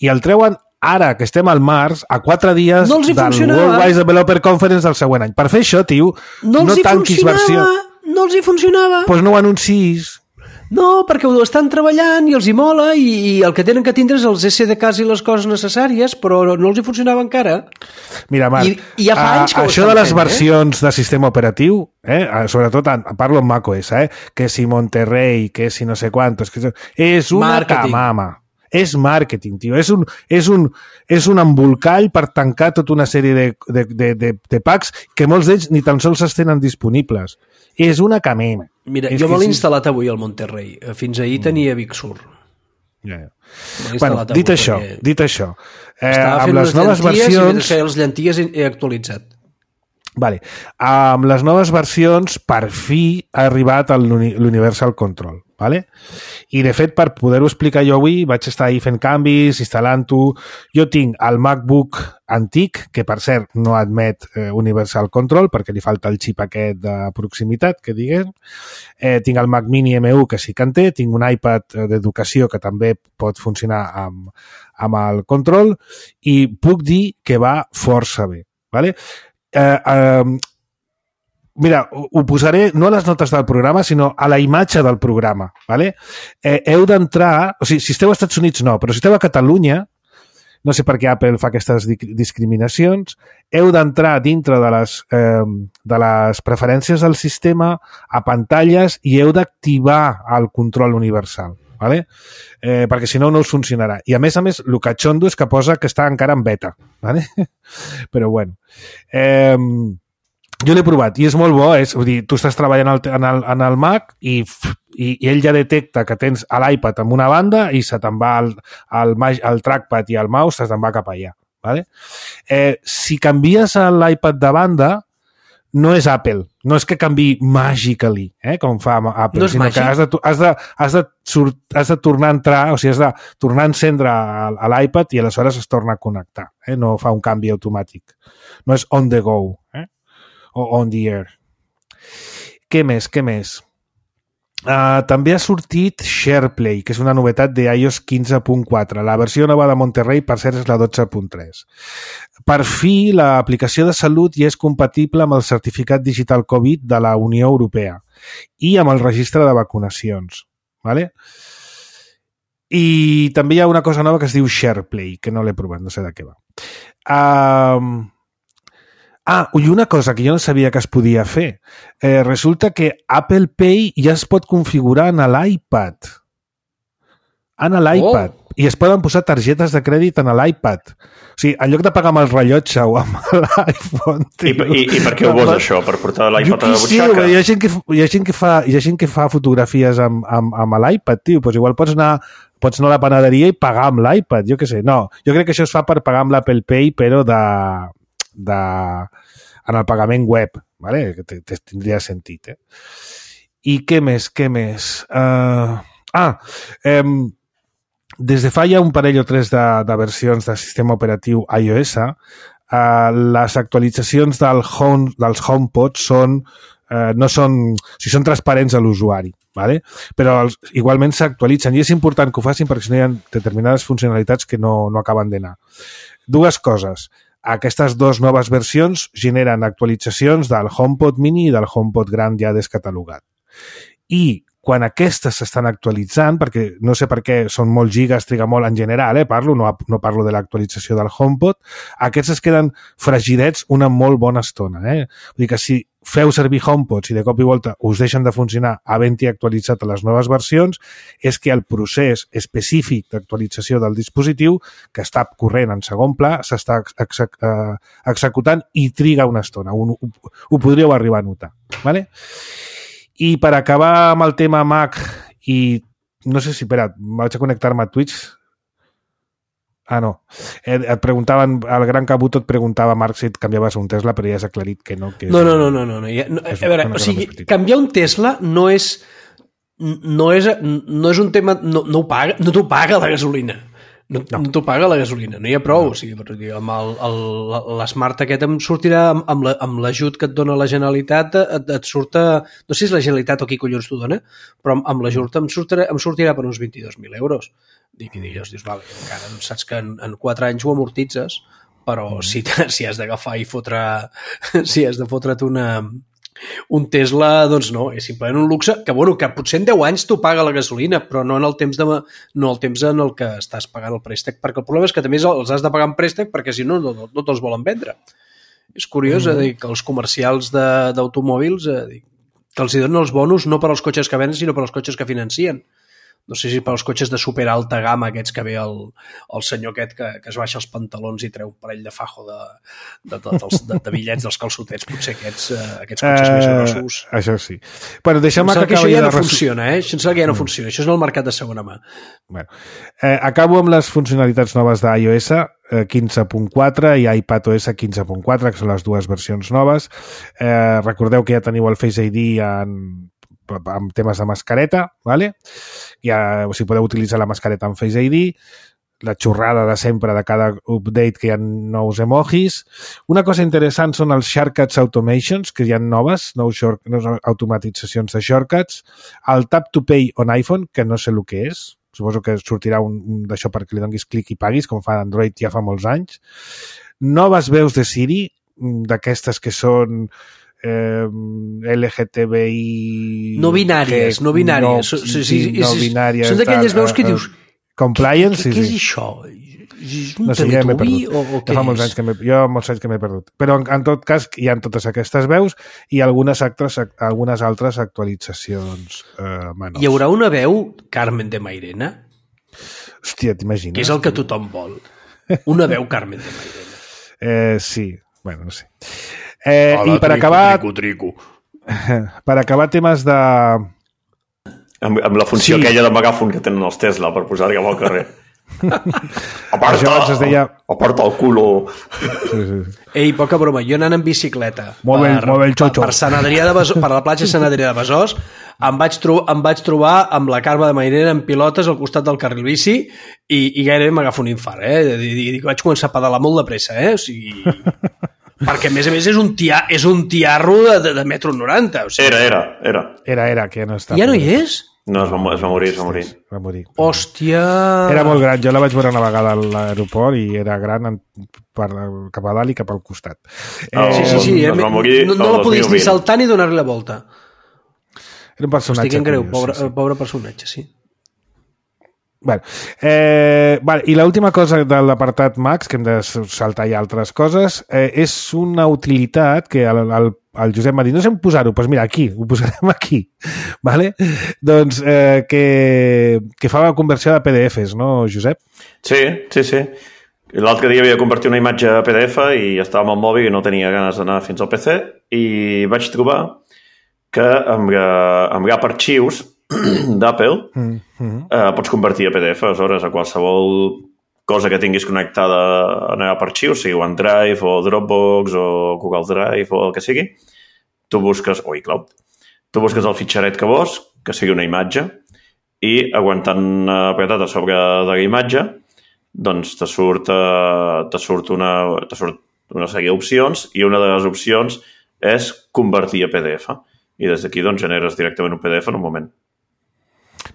i el treuen ara, que estem al març, a quatre dies No els hi del funcionava. World Wide Developer Conference del següent any. Per fer això, tio, No els no hi tanquis funcionava, versió. no els hi funcionava. Doncs no ho anunciïs. No, perquè ho estan treballant i els hi mola i, i el que tenen que tindre és els S D Ks i les coses necessàries, però no els hi funcionava encara. Mira, Marc, I- i ja fa a- anys que ho això estan de les fent, eh? versions de sistema operatiu, eh, sobretot en, parlo en macOS, eh, que si Monterrey, que si no sé quantos, que si- és una Màrqueting. camama. És màrqueting, tio. És un, és, un, és un embolcall per tancar tota una sèrie de, de, de, de, de packs que molts d'ells ni tan sols es tenen disponibles. És una camema. Mira, és jo me que l'he sí. instal·lat avui al Monterrey. Fins ahir tenia Big Sur. Ja, ja. Me l'he Bueno, instal·lat dit avui això, perquè dit això, eh, estava amb fent les unes noves llenties i mentre versions... feia les llenties he he actualitzat. Vale. Amb les noves versions, per fi ha arribat l'Universal Control. Vale? I, de fet, per poder-ho explicar jo avui, vaig estar ahí fent canvis, instal·lant-ho. Jo tinc el MacBook antic, que, per cert, no admet eh, Universal Control, perquè li falta el xip aquest de proximitat, que diguem. Eh, tinc el Mac Mini M u, que sí que en té. Tinc un iPad d'educació, que també pot funcionar amb, amb el control. I puc dir que va força bé. Vale? Eh, eh, mira, ho posaré no a les notes del programa, sinó a la imatge del programa. Vale? Eh, heu d'entrar... O sigui, si esteu als Estats Units no, però si esteu a Catalunya, no sé per què Apple fa aquestes discriminacions, heu d'entrar dintre de les, eh, de les preferències del sistema, a pantalles, i heu d'activar el control universal. Vale? Eh, perquè si no, no us funcionarà. I a més a més, el catxondo és que posa que està encara en beta. Vale? Però bueno. Eh, jo l'he provat i és molt bo. És, vull dir, tu estàs treballant en el, en el Mac i, i, i ell ja detecta que tens l'iPad en una banda i se te'n va el, el, el trackpad i el mouse se te'n va cap allà. Vale? Eh, si canvies l'iPad de banda, no és Apple, no és que canvi magically, eh, com fa Apple, no sinó màgic. que has de, has, de, has, de surt, has de tornar a entrar, o sigui, has de tornar a encendre a l'iPad i aleshores es torna a connectar, eh? No fa un canvi automàtic. No és on the go, eh? O on the air. Què més, què més? Uh, també ha sortit SharePlay, que és una novetat de iOS quinze punt quatre. La versió nova de Monterrey, per cert, és la dotze punt tres. Per fi, l'aplicació de salut ja és compatible amb el certificat digital Covid de la Unió Europea i amb el registre de vacunacions. Vale? I també hi ha una cosa nova que es diu SharePlay, que no l'he provat, no sé de què va. Uh, Ah, i una cosa que jo no sabia que es podia fer. Eh, resulta que Apple Pay ja es pot configurar en l'iPad. En l'iPad. Oh. I es poden posar targetes de crèdit en l'iPad. O sigui, en lloc de pagar amb el rellotge o amb l'iPhone... I, i, I per què ho vols, això? Per portar l'iPad a la butxaca? Hi ha gent que, hi ha gent que, fa, hi ha gent que fa fotografies amb, amb, amb l'iPad, tio. Pues igual pots anar, pots anar a la panaderia i pagar amb l'iPad, jo què sé. No, jo crec que això es fa per pagar amb l'Apple Pay, però de... de en el pagament web, vale? Que tindria sentit. Eh? I què més, què més? Uh, ah, eh, des de fa ja un parell o tres de, de versions de sistema operatiu iOS, uh, les actualitzacions del home, dels HomePod són, uh, no són, o sigui, són transparents a l'usuari. Vale? Però els, igualment s'actualitzen i és important que ho facin perquè si no hi ha determinades funcionalitats que no, no acaben d'anar. Dues coses. Aquestes dues noves versions generen actualitzacions del HomePod mini i del HomePod gran ja descatalogat. I quan aquestes s'estan actualitzant, perquè no sé per què són molt gigas, triga molt en general, eh, parlo, no, no parlo de l'actualització del HomePod, aquests es queden fregidets una molt bona estona. Eh? Vull dir que si feu servir HomePods i de cop i volta us deixen de funcionar havent-hi actualitzat a les noves versions, és que el procés específic d'actualització del dispositiu, que està corrent en segon pla, s'està exec executant i triga una estona. Ho, ho, ho podríeu arribar a notar. Vale? I per acabar amb el tema Mac i no sé si, espera, vaig a connectar-me a Twitch. Ah, no. Eh, et preguntaven, el Gran Cabuto et preguntava, Marc, si et canviaves un Tesla, però ja has aclarit que no. Que és, no, no, no, no, no, no. Ja, no a veure, o sigui, canviar un Tesla no és no és, no és un tema, no, no ho paga, no t'ho paga la gasolina. No, no. no t'ho paga la gasolina, no hi ha prou. No. O sigui, per dir, amb l'Smart aquest em sortirà, amb l'ajut que et dona la Generalitat, et, et surta, no sé si és la Generalitat o qui collons t'ho dona, però amb, amb l'ajut em, sortirà, em sortirà per uns vint-i-dos mil euros. I dius, dius, vale, encara saps que en, en quatre anys ho amortitzes, però mm. si, si has d'agafar i fotre, si has de fotre't una... un Tesla, doncs no, és simplement un luxe que, bueno, que potser en deu anys t'ho paga la gasolina, però no en el temps de, no el temps en el que estàs pagant el préstec, perquè el problema és que també els has de pagar en préstec perquè si no, no, no te'ls volen vendre. És curiós, mm. eh, dir, que els comercials d'automòbils eh, que els hi donen els bonus no per als cotxes que venen, sinó per als cotxes que financien. No sé si per als cotxes de super alta gamma aquests que ve el, el senyor aquest que, que es baixa els pantalons i treu un parell de fajo de, de, de, de, de, de bitllets dels calçotets, potser aquests, uh, aquests cotxes uh, més grossos. Això sí. Bueno, deixem que que això ja no funciona, eh? Això em sembla que ja no funciona. Això és en el mercat de segona mà. Bueno, eh, acabo amb les funcionalitats noves d'iOS. quinze punt quatre i iPadOS quinze punt quatre, que són les dues versions noves. Eh, recordeu que ja teniu el Face I D en, amb temes de mascareta, ¿vale? Ja, o sigui, podeu utilitzar la mascareta amb Face I D, la xorrada de sempre de cada update que hi ha nous emojis. Una cosa interessant són els Shortcuts Automations, que hi ha noves, nous, short, nous automatitzacions de shortcuts. El Tap to Pay on iPhone, que no sé el que és. Suposo que sortirà un, un d'això perquè li donis clic i paguis, com fa Android ja fa molts anys. Noves veus de Siri, d'aquestes que són eh, L G T B I... No binàries, no binàries. No, sí, sí, no binàries. Són d'aquelles veus que dius... Compliance, què, sí, què sí. és això? És un no sé, ja m'he Teletubby perdut. o, o què ja fa molts és? anys que m'he, jo molts anys que m'he perdut. Però en, en tot cas hi ha totes aquestes veus i algunes altres, algunes altres actualitzacions eh, menors. Hi haurà una veu Carmen de Mairena? Hòstia, t'imagines? Que és el que tothom vol. Una veu Carmen de Mairena. Eh, sí, bueno, no sé. Eh, Hola, I per trico, acabar... Trico, trico. Per acabar temes de... Amb, amb la funció Sí. aquella de megàfon que tenen els Tesla per posar-hi al carrer. Aparta, Això abans es deia... aparta el culo. Sí, sí. Ei, poca broma, jo anant en bicicleta Molt bé, per, molt bé el xotxo. per, per Sant Adrià de Besòs, per la platja Sant Adrià de Besòs, em vaig, tro em vaig trobar amb la Carme de Mairena en pilotes al costat del carril bici i, i gairebé m'agafo un infart, eh? I, i, i vaig començar a pedalar molt de pressa, eh? O sigui... perquè a més a més és un, tia, és un tiarro de, de, de metro noranta. O sigui... Era, era, era. Era, era, que ja no està. Ja no hi és? No, es va, es va morir, es va morir. Va morir. Hòstia... Era molt gran, jo la vaig veure una vegada a l'aeroport i era gran en, per, cap a dalt i cap al costat. Oh, Sí, sí, sí. Es Eh? va morir No, no el la podies dos ni mil vint. saltar ni donar-li la volta. Era un personatge Estic en greu, curiós, pobre, sí, sí. pobre personatge, sí. Bueno, eh, vale, i l'última cosa de l'apartat Max, que hem de saltar ja altres coses, eh, és una utilitat que el, el, el Josep m'ha dit, no sé on posar-ho, doncs mira, aquí, ho posarem aquí, vale? Doncs eh, que, que fa la conversió de P D Fs, no, Josep? Sí, sí, sí. L'altre dia havia convertit una imatge a P D F i estava amb el mòbil i no tenia ganes d'anar fins al P C i vaig trobar que amb, amb Gap Archius d'Apple Mm -hmm. eh, pots convertir a P D F, aleshores, a qualsevol cosa que tinguis connectada a Gap Archius, sigui OneDrive o Dropbox o Google Drive o el que sigui, tu busques, o iCloud, tu busques el fitxaret que vols, que sigui una imatge, i aguantant apretat a sobre de la imatge, doncs te surt, eh, te surt, una, te surt una sèrie d'opcions i una de les opcions és convertir a P D F. I des d'aquí doncs, generes directament un P D F en un moment.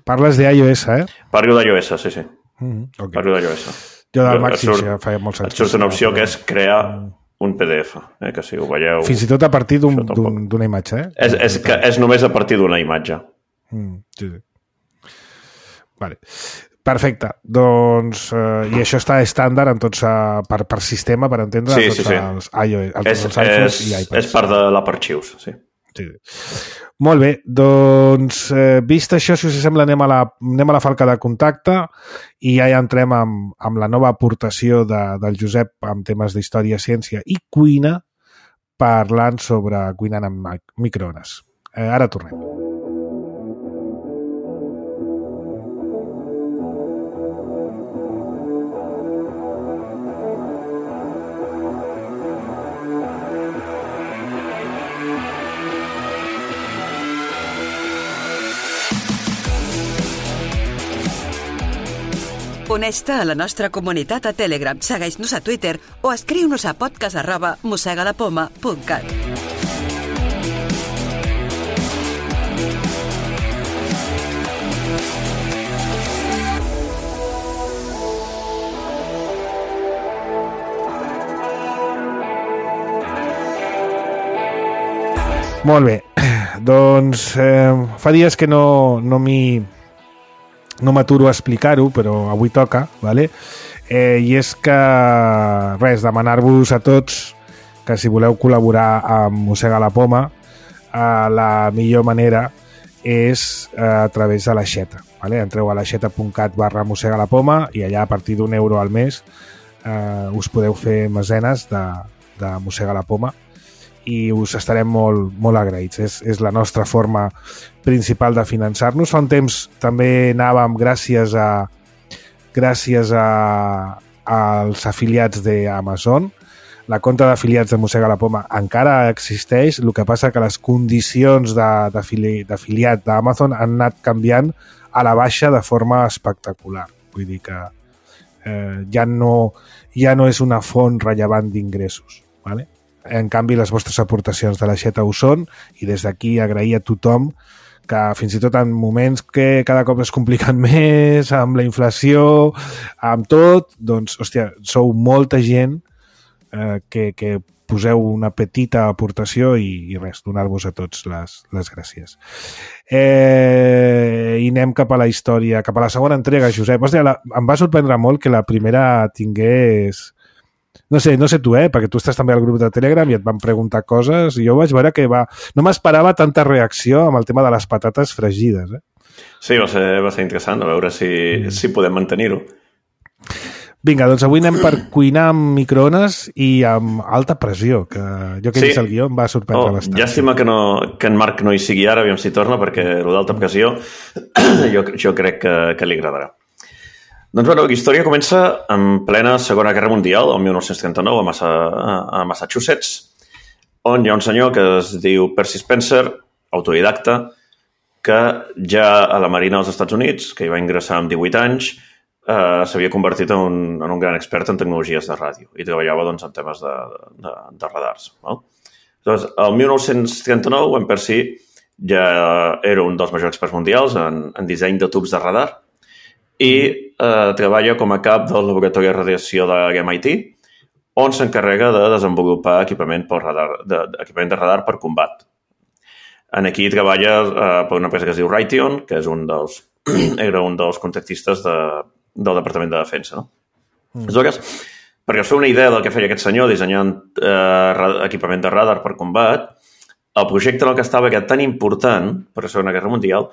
Parles d'iOS, eh? Parlo d'iOS, sí, sí. Mm -hmm. Okay. Parlo d'iOS. Jo del Et Max sí, surt- ja feia molts anys. Et surt una opció que és crear un P D F, eh, que si ho veieu... Fins i tot a partir Això tampoc. d'una imatge, eh? És, és, que és només a partir d'una imatge. Mm, sí, sí. Vale. Perfecte. Doncs, eh, i això està estàndard en tots, eh, per, per sistema, per entendre, Sí, a tots sí, sí. els iOS, a tots És, els iPhones és, i iPads. és part de l'App Archius, sí. Sí. Molt bé, doncs eh, vist això, si us sembla, anem a la, anem a la falca de contacte i ja, ja entrem amb, amb la nova aportació de, del Josep amb temes d'història, ciència i cuina, parlant sobre cuinant amb mic- microones. Eh, ara tornem. Uneix-te a la nostra comunitat a Telegram, segueix-nos a Twitter o escriu-nos a podcast arroba mossegalapoma punt cat. Molt bé, doncs eh, fa dies que no, no m'hi no m'aturo a explicar-ho, però avui toca, vale? eh, i és que res, demanar-vos a tots que si voleu col·laborar amb Mossega la Poma, eh, la millor manera és eh, a través de l'aixeta. Vale? Entreu a l'aixeta punt cat barra Mossega la Poma i allà a partir d'un euro al mes eh, us podeu fer mesenes de, de Mossega la Poma i us estarem molt, molt agraïts. És, és la nostra forma principal de finançar-nos. Fa un temps també anàvem gràcies a gràcies a, a als afiliats d'Amazon. La compta d'afiliats de Mossega la Poma encara existeix, el que passa que les condicions d'afiliat d'Amazon han anat canviant a la baixa de forma espectacular. Vull dir que eh, ja, no, ja no és una font rellevant d'ingressos. ¿Vale? En canvi, les vostres aportacions de la Xeta ho són, i des d'aquí agrair a tothom que fins i tot en moments que cada cop es compliquen més, amb la inflació, amb tot, doncs, hòstia, sou molta gent eh, que, que poseu una petita aportació i, i res, donar-vos a tots les, les gràcies. Eh, I anem cap a la història, cap a la segona entrega, Josep. Hòstia, la, em va sorprendre molt que la primera tingués... No sé, no sé tu, eh? Perquè tu estàs també al grup de Telegram i et van preguntar coses i jo vaig veure que va... No m'esperava tanta reacció amb el tema de les patates fregides, eh? Sí, va ser, va ser interessant, a veure si, mm. si podem mantenir-ho. Vinga, doncs avui anem per cuinar amb microones i amb alta pressió, que jo que he vist el guió em va sorprendre oh, bastant. Llàstima que, no, que en Marc no hi sigui ara, aviam si torna, perquè el d'alta pressió jo, jo crec que, que li agradarà. Doncs, bueno, la història comença en plena Segona Guerra Mundial, el mil nou-cents trenta-nou, a, Massa, a Massachusetts, on hi ha un senyor que es diu Percy Spencer, autodidacta, que ja a la Marina dels Estats Units, que hi va ingressar amb divuit anys, eh, s'havia convertit en un, en un gran expert en tecnologies de ràdio i treballava doncs, en temes de, de, de radars. No? Doncs, el mil nou-cents trenta-nou, en Percy ja era un dels majors experts mundials en, en disseny de tubs de radar, i eh, treballa com a cap del laboratori de radiació de l'M I T, on s'encarrega de desenvolupar equipament, per radar, de, equipament de radar per combat. En aquí treballa eh, per una empresa que es diu Raytheon, que és un dels, era un dels contractistes de, del Departament de Defensa. No? Mm. Aleshores, perquè us feu una idea del que feia aquest senyor dissenyant eh, equipament de radar per combat, el projecte en el que estava era tan important per la Segona Guerra Mundial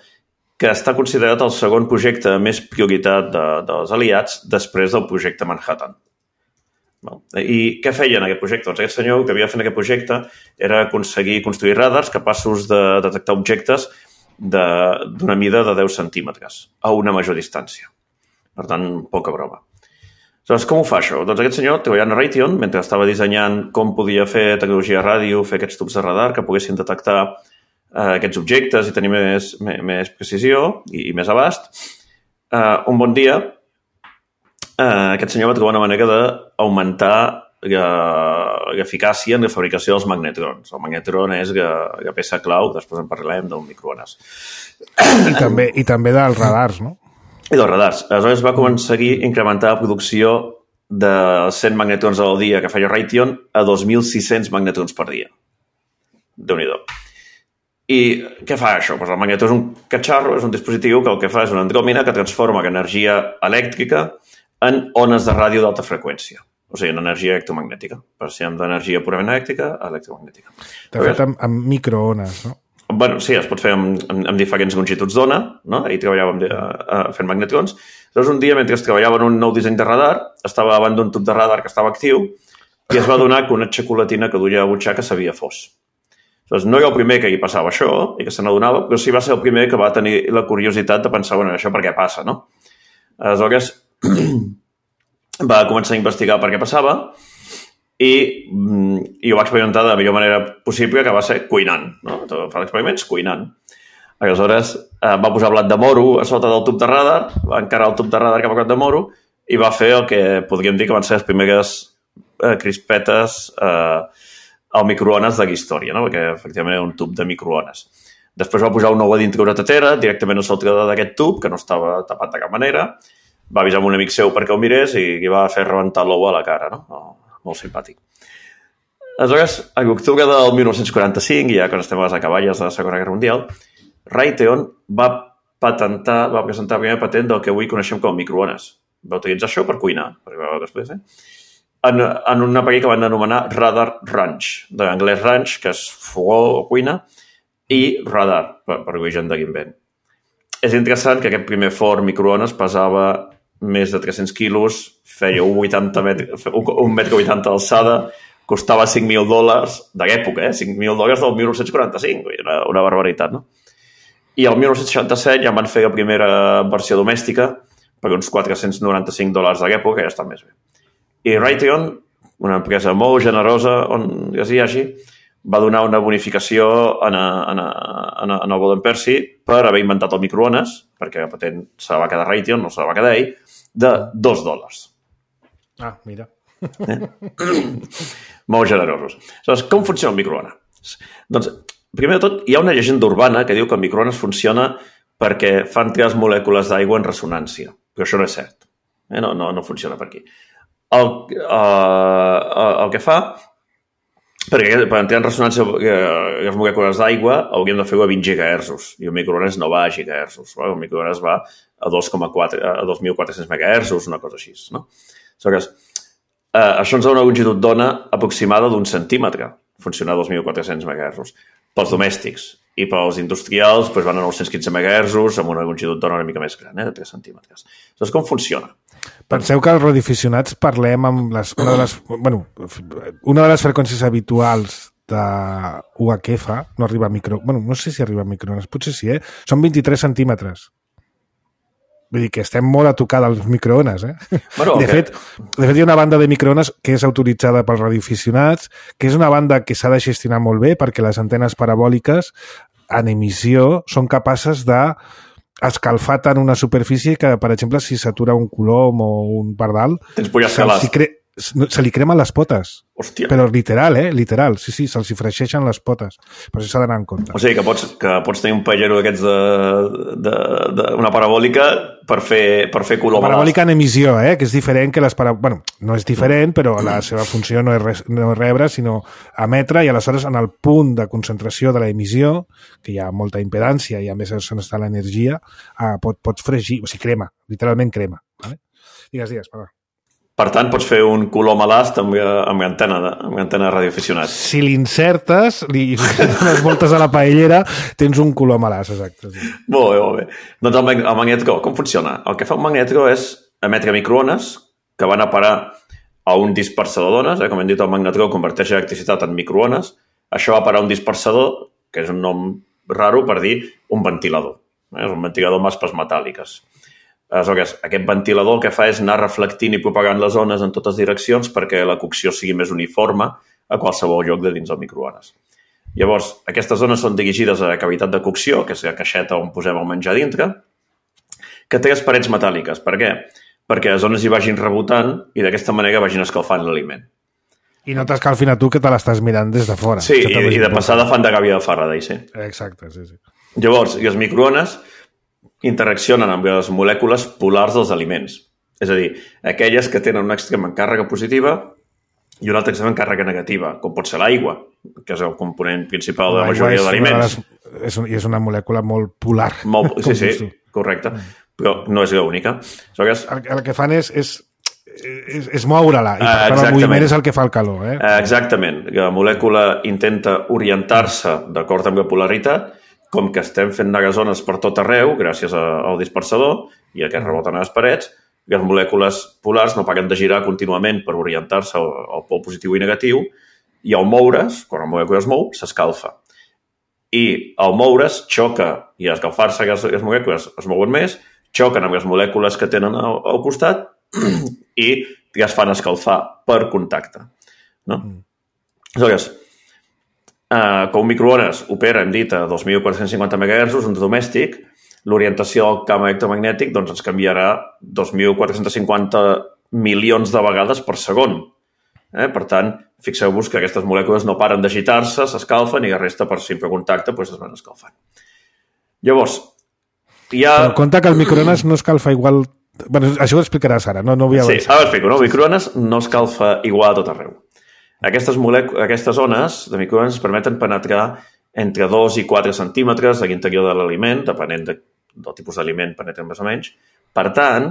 que està considerat el segon projecte més prioritat de, dels aliats després del projecte Manhattan. I què feia en aquest projecte? Doncs aquest senyor que havia fet en aquest projecte era aconseguir construir radars capaços de detectar objectes d'una mida de deu centímetres a una major distància. Per tant, poca broma. Aleshores, com ho fa això? Doncs aquest senyor, treballant a Raytheon, mentre estava dissenyant com podia fer tecnologia ràdio, fer aquests tubs de radar que poguessin detectar Uh, aquests objectes i tenir més, més, més precisió i, i més abast, uh, un bon dia uh, aquest senyor va trobar una manera d'augmentar l'eficàcia en la fabricació dels magnetrons. El magnetron és la, la peça clau, després en parlarem d'un microones. I també, i també dels radars, no? I dels radars. Aleshores va aconseguir incrementar la producció de cent magnetrons al dia que feia Raytheon a dos mil sis-cents magnetrons per dia. Déu-n'hi-do. I què fa això? Pues el magnetó és un catxarro, és un dispositiu que el que fa és una andròmina que transforma l'energia elèctrica en ones de ràdio d'alta freqüència. O sigui, en energia electromagnètica. Passem d'energia purament elèctrica a electromagnètica. De fet, amb, amb microones, no? Bueno, sí, es pot fer amb, amb, amb diferents longituds d'ona, no? Ahir treballàvem de, uh, fent magnetrons. Llavors, un dia, mentre treballava en un nou disseny de radar, estava davant d'un tub de radar que estava actiu i es va adonar que una xocolatina que duia a butxaca s'havia fos. Doncs no era el primer que hi passava això i que se n'adonava, però sí va ser el primer que va tenir la curiositat de pensar, bueno, això per què passa, no? Aleshores, va començar a investigar per què passava i, i ho va experimentar de la millor manera possible, que va ser cuinant, no? Fa experiments cuinant. Aleshores, va posar blat de moro a sota del tub de radar, va encarar el tub de radar cap a blat de moro i va fer el que podríem dir que van ser les primeres eh, crispetes eh, al microones de la història, no? Perquè efectivament era un tub de microones. Després va posar un ou a dintre una tetera, directament al saltador d'aquest tub, que no estava tapat de cap manera, va avisar un amic seu perquè el mirés i li va fer rebentar l'ou a la cara, no? Oh, molt simpàtic. Aleshores, a l'octubre del mil nou-cents quaranta-cinc, ja quan estem a les acaballes de la Segona Guerra Mundial, Raytheon va patentar, va presentar el primer patent del que avui coneixem com a microones. Va utilitzar això per cuinar, perquè va després, eh? En, en un aparell que van anomenar Radar Ranch, de l'anglès ranch, que és fogó o cuina, i radar, per, per origen de l'invent. És interessant que aquest primer forn microones pesava més de tres-cents quilos, feia un, vuitanta metres, un, un metre vuitanta d'alçada, costava cinc mil dòlars de l'època, eh? cinc mil dòlars del mil nou-cents quaranta-cinc, una, una barbaritat, no? I el mil nou-cents seixanta-set ja van fer la primera versió domèstica per uns quatre-cents noranta-cinc dòlars de l'època, que ja està més bé. I Raytheon, una empresa molt generosa, on ja hi hagi, va donar una bonificació en, a, en, a, en, a, en el Golden Percy per haver inventat el microones, perquè la patent se la va quedar Raytheon, no se la va quedar ell, de dos dòlars. Ah, mira. Eh? Molt generosos. Aleshores, com funciona el microones? Doncs, primer de tot, hi ha una llegenda urbana que diu que el microones funciona perquè fan tres molècules d'aigua en ressonància. Però això no és cert. Eh? No, no, no funciona per aquí. El, uh, el que fa, perquè per entrar en ressonància les molècules d'aigua hauríem de fer-ho a vint gigahertzos i el microones no va a gigahertzos. El microones va a dos coma quatre, a dos mil quatre-cents megahertzos, una cosa així. No? Aleshores, Uh, això ens dona una longitud d'ona aproximada d'un centímetre, funcionar a dos mil quatre-cents megahertzos. Pels domèstics i pels industrials doncs van a nou-cents quinze megahertzos amb una longitud d'ona una mica més gran, eh, de tres centímetres. Llavors, com funciona? Penseu que els radioaficionats parlem amb les, una, de les, bueno, una de les freqüències habituals de U H F, no arriba a micro... Bueno, no sé si arriba a microones, potser sí, eh? Són vint-i-tres centímetres. Vull dir que estem molt a tocar dels microones, eh? Bueno, de, okay. fet, de fet, hi ha una banda de microones que és autoritzada pels radioaficionats, que és una banda que s'ha de gestionar molt bé perquè les antenes parabòliques en emissió són capaces de escalfar tant una superfície que, per exemple, si s'atura un colom o un pardal, se'ls cre... se li cremen les potes. Hòstia. Però literal, eh? Literal. Sí, sí, se'ls hi freixeixen les potes. Per això s'ha d'anar en compte. O sigui, que pots, que pots tenir un pallero d'aquests de, de, de, una parabòlica per fer, per fer color. Parabòlica en emissió, eh? Que és diferent que les parabòliques... Bueno, no és diferent, però la seva funció no és, res, no és rebre, sinó emetre, i aleshores en el punt de concentració de l'emissió, que hi ha molta impedància i a més on està l'energia, eh, pot, pots fregir, o sigui, crema, literalment crema. Vale? Digues, digues, perdó. Per tant, pots fer un color malast amb, amb antena de, amb antena de radioaficionat. Si l'insertes, li dones voltes a la paellera, tens un color malast, exacte. Sí. Molt bé, molt bé. Doncs el, el magnetro, com funciona? El que fa un magnetro és emetre microones que van a parar a un dispersador d'ones, eh? Com hem dit, el magnetro converteix electricitat en microones. Això va parar a un dispersador, que és un nom raro per dir un ventilador. Eh? És un ventilador amb aspes metàl·liques. Aleshores, aquest ventilador el que fa és anar reflectint i propagant les ones en totes direccions perquè la cocció sigui més uniforme a qualsevol lloc de dins del microones. Llavors, aquestes zones són dirigides a la cavitat de cocció, que és la caixeta on posem el menjar dintre, que té les parets metàl·liques. Per què? Perquè les ones hi vagin rebotant i d'aquesta manera vagin escalfant l'aliment. I no t'escalfin a tu que te l'estàs mirant des de fora. Sí, i, i de passada fan de gàbia de Faraday, sí. Exacte, sí, sí. Llavors, i els microones interaccionen amb les molècules polars dels aliments. És a dir, aquelles que tenen un extrem en càrrega positiva i un altre extrem en càrrega negativa, com pot ser l'aigua, que és el component principal de la majoria d'aliments. És, un, és una molècula molt polar. Molt, sí, sí, correcte. Però no és l'única. El, el que fan és, és, és, és moure-la, i per tant el moviment és el que fa el calor. Eh? Exactament. La molècula intenta orientar-se d'acord amb la polaritat. Com que estem fent negazones per tot arreu, gràcies al dispersador i a que reboten a les parets, les molècules polars no paren de girar contínuament per orientar-se al, al pol positiu i negatiu, i al moure's, quan la molècula es mou, s'escalfa. I al moure's xoca, i a escalfar-se les, les molècules es mouen més, xoquen amb les molècules que tenen al, al costat i les fan escalfar per contacte. No? Aleshores, Uh, com un microones opera, hem dit, a dos mil quatre-cents cinquanta megahertzos, un domèstic, l'orientació del camp electromagnètic doncs, ens canviarà dos mil quatre-cents cinquanta milions de vegades per segon. Eh? Per tant, fixeu-vos que aquestes molècules no paren d'agitar-se, s'escalfen i la resta per simple contacte doncs, es van escalfant. Llavors, hi ha... Però compte que el microones no escalfa igual... Bueno, això ho explicaràs ara, no, no vull avançar. Sí, ara ho explico. No? El microones no escalfa igual a tot arreu. Aquestes, aquestes ones de microones permeten penetrar entre dos i quatre centímetres a l'interior de l'aliment, depenent de, del tipus d'aliment, penetren més o menys. Per tant,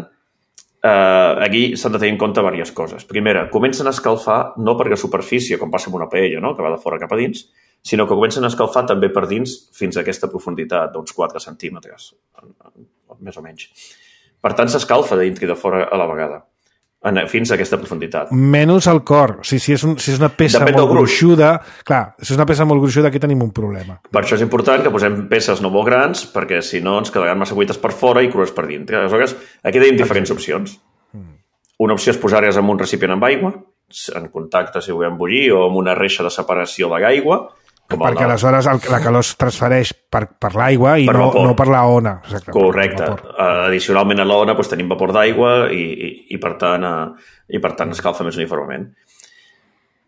eh, aquí s'han de tenir en compte diverses coses. Primera, comencen a escalfar no per la superfície, com passa amb una paella, no? Que va de fora cap a dins, sinó que comencen a escalfar també per dins fins a aquesta profunditat d'uns quatre centímetres, més o menys. Per tant, s'escalfa de dintre i de fora a la vegada. Fins a aquesta profunditat. Menys al cor. O sigui, si, és un, si és una peça Depèn molt gruixuda... Clar, si és una peça molt gruixuda, aquí tenim un problema. Per això és important que posem peces no molt grans, perquè si no ens quedaran massa cuites per fora i crues per dintre. Aleshores, aquí tenim diferents opcions. Una opció és posar-les en un recipient amb aigua, en contacte, si volem bullir, o amb una reixa de separació de l'aigua. Perquè aleshores el, la calor es transfereix per, per l'aigua i per no, no per la ona. Exactament. Correcte. Uh, addicionalment a la ona doncs, tenim vapor d'aigua i, i, i, per tant, uh, i per tant escalfa més uniformement.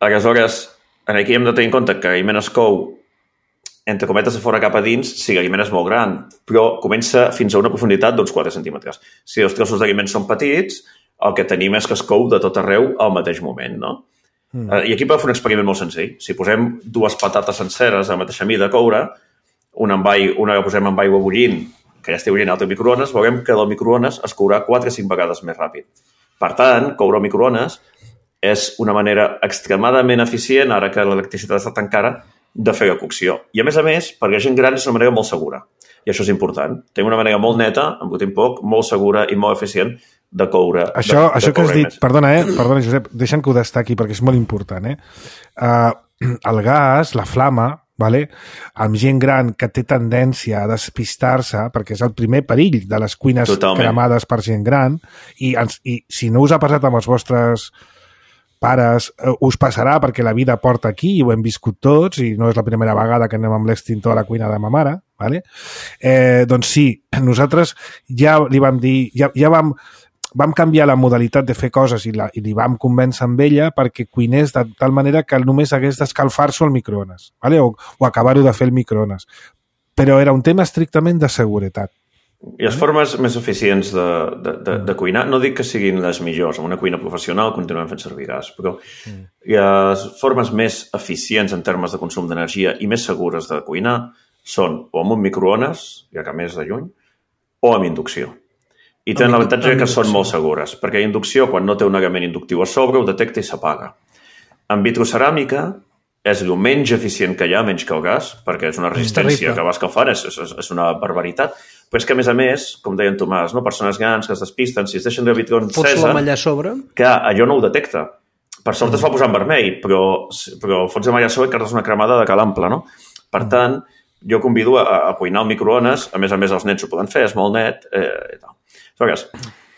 Aleshores, aquí hem de tenir en compte que l'aliment es cou entre cometes de fora cap a dins si l'aliment és molt gran, però comença fins a una profunditat d'uns quatre centímetres. Si els trossos d'aliment són petits, el que tenim és que es cou de tot arreu al mateix moment, no? Mm. Uh, I aquí podem fer un experiment molt senzill. Si posem dues patates senceres a la mateixa mida a coure, una, amb aigua, una la posem amb aigua bullint, que ja estigui bullint al microones, veurem que del microones es courà quatre o cinc vegades més ràpid. Per tant, coure al microones és una manera extremadament eficient, ara que l'electricitat està tan cara, de fer la cocció. I a més a més, per la gent gran és una manera molt segura. I això és important. Tenim una manera molt neta, amb un poc, molt segura i molt eficient de coure. Això, de, això de que has dit, més. perdona, eh? Perdona, Josep, deixa'm que ho destaqui perquè és molt important, eh? Uh, el gas, la flama, vale? Amb gent gran que té tendència a despistar-se, perquè és el primer perill de les cuines Totalment. cremades per gent gran, i, ens, i si no us ha passat amb els vostres pares, us passarà perquè la vida porta aquí i ho hem viscut tots i no és la primera vegada que anem amb l'extintor a la cuina de ma mare, vale? eh, doncs sí, nosaltres ja li vam dir, ja, ja vam, vam canviar la modalitat de fer coses i, la, i li vam convèncer amb ella perquè cuinés de tal manera que només hagués d'escalfar-s'ho al microones, vale? o, o acabar-ho de fer al microones. Però era un tema estrictament de seguretat. I les formes més eficients de, de, de, de cuinar, no dic que siguin les millors, en una cuina professional continuem fent servir gas, però mm. les formes més eficients en termes de consum d'energia i més segures de cuinar són o amb un microones, ja que més de lluny, o amb inducció. I tenen l'avantatge que són molt segures, perquè la inducció, quan no té un element inductiu a sobre, ho detecta i s'apaga. En vitroceràmica és el menys eficient que hi ha, menys que el gas, perquè és una resistència que va escalfant, és, és, és una barbaritat. Però és que, a més a més, com deia en Tomàs, no? Persones grans que es despisten, si es deixen de vitro encesa... Fots la malla a sobre? Que allò no ho detecta. Per sort mm. es va posar en vermell, però, però fots la malla a sobre i cardes una cremada de cal ample, no? Per mm. tant, jo convido a, a cuinar al microones, a més a més els nets ho poden fer, és molt net, eh, i tal. Aleshores,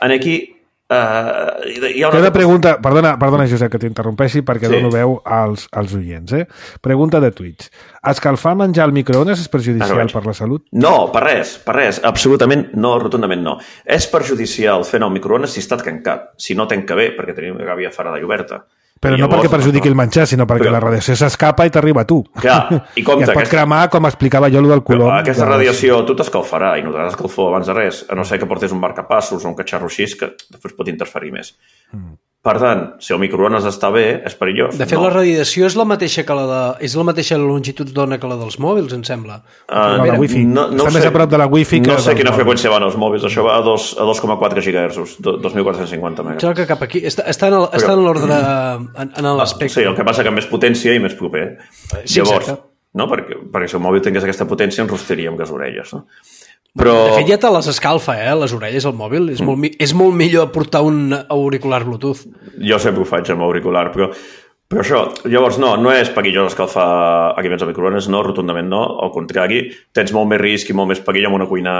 aquí... Uh, hi ha una... Queda pregunta, perdona, perdona Josep que t'interrompeixi perquè sí. dono veu als, als oients, eh? Pregunta de Twitch. Escalfar menjar al microones és perjudicial per la salut? No, per res, per res, absolutament no, rotundament no. És perjudicial fer-ne al microones si està tancat, si no tanca bé, perquè tenim la gàbia fora d'alla oberta. Però I no llavors, perquè perjudiqui no. el menjar, sinó perquè però... la radiació s'escapa i t'arriba a tu. Clar, i compte... I et pot aquesta... cremar, com explicava jo, el del colom. Però aquesta radiació tu t'escalfarà i no t'has escalfor abans de res, a no ser que portés un marcapassos o un catxarro així que després pot interferir més. Mm. Per tant, si el microones està bé, és perillós. De fet, no. la radiació és la mateixa que la de... és la mateixa longitud d'ona que la dels mòbils, em sembla. Uh, la wifi. No, no està sé, més a prop de la wifi que... No sé quina freqüència van els mòbils. Això va a dos coma quatre gigahertzos, dos mil quatre-cents cinquanta megas. Sembla que cap aquí... Està, està en, el, està en l'ordre... En, en l'espectre. Sí, el que passa que més potència i més proper. Sí, Llavors, exacte. No? Perquè, perquè si el mòbil tingués aquesta potència ens rostaria amb les orelles, no? Però... De fet, ja te les escalfa, eh, les orelles al mòbil. És, mm. molt, és molt millor portar un auricular Bluetooth. Jo sempre ho faig amb auricular, però, però això, llavors no, no és perillós escalfar aliments a microones, no, rotundament no, al contrari, tens molt més risc i molt més perill amb una cuina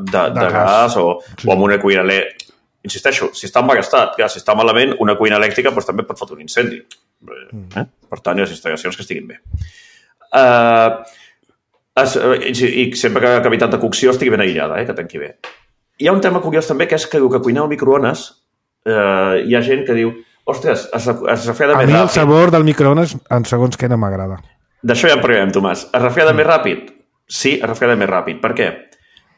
de, de, de gas, gas o, sí. o amb una cuina elèctrica. Insisteixo, si està embagastat, clar, si està malament, una cuina elèctrica doncs, també pot fotre un incendi. Mm. Eh? Per tant, hi ha les instal·lacions que estiguin bé. Uh, Es, i sempre que la cavitat de cocció estigui ben aïllada, eh, que tanqui bé. Hi ha un tema curiós també, que és que el que cuinar al microones eh, hi ha gent que diu ostres, es, es refreda més ràpid. A mi el sabor del microones, en segons què, no m'agrada. D'això ja en parlarem, Tomàs. Es refreda mm. més ràpid? Sí, es refreda més ràpid. Per què?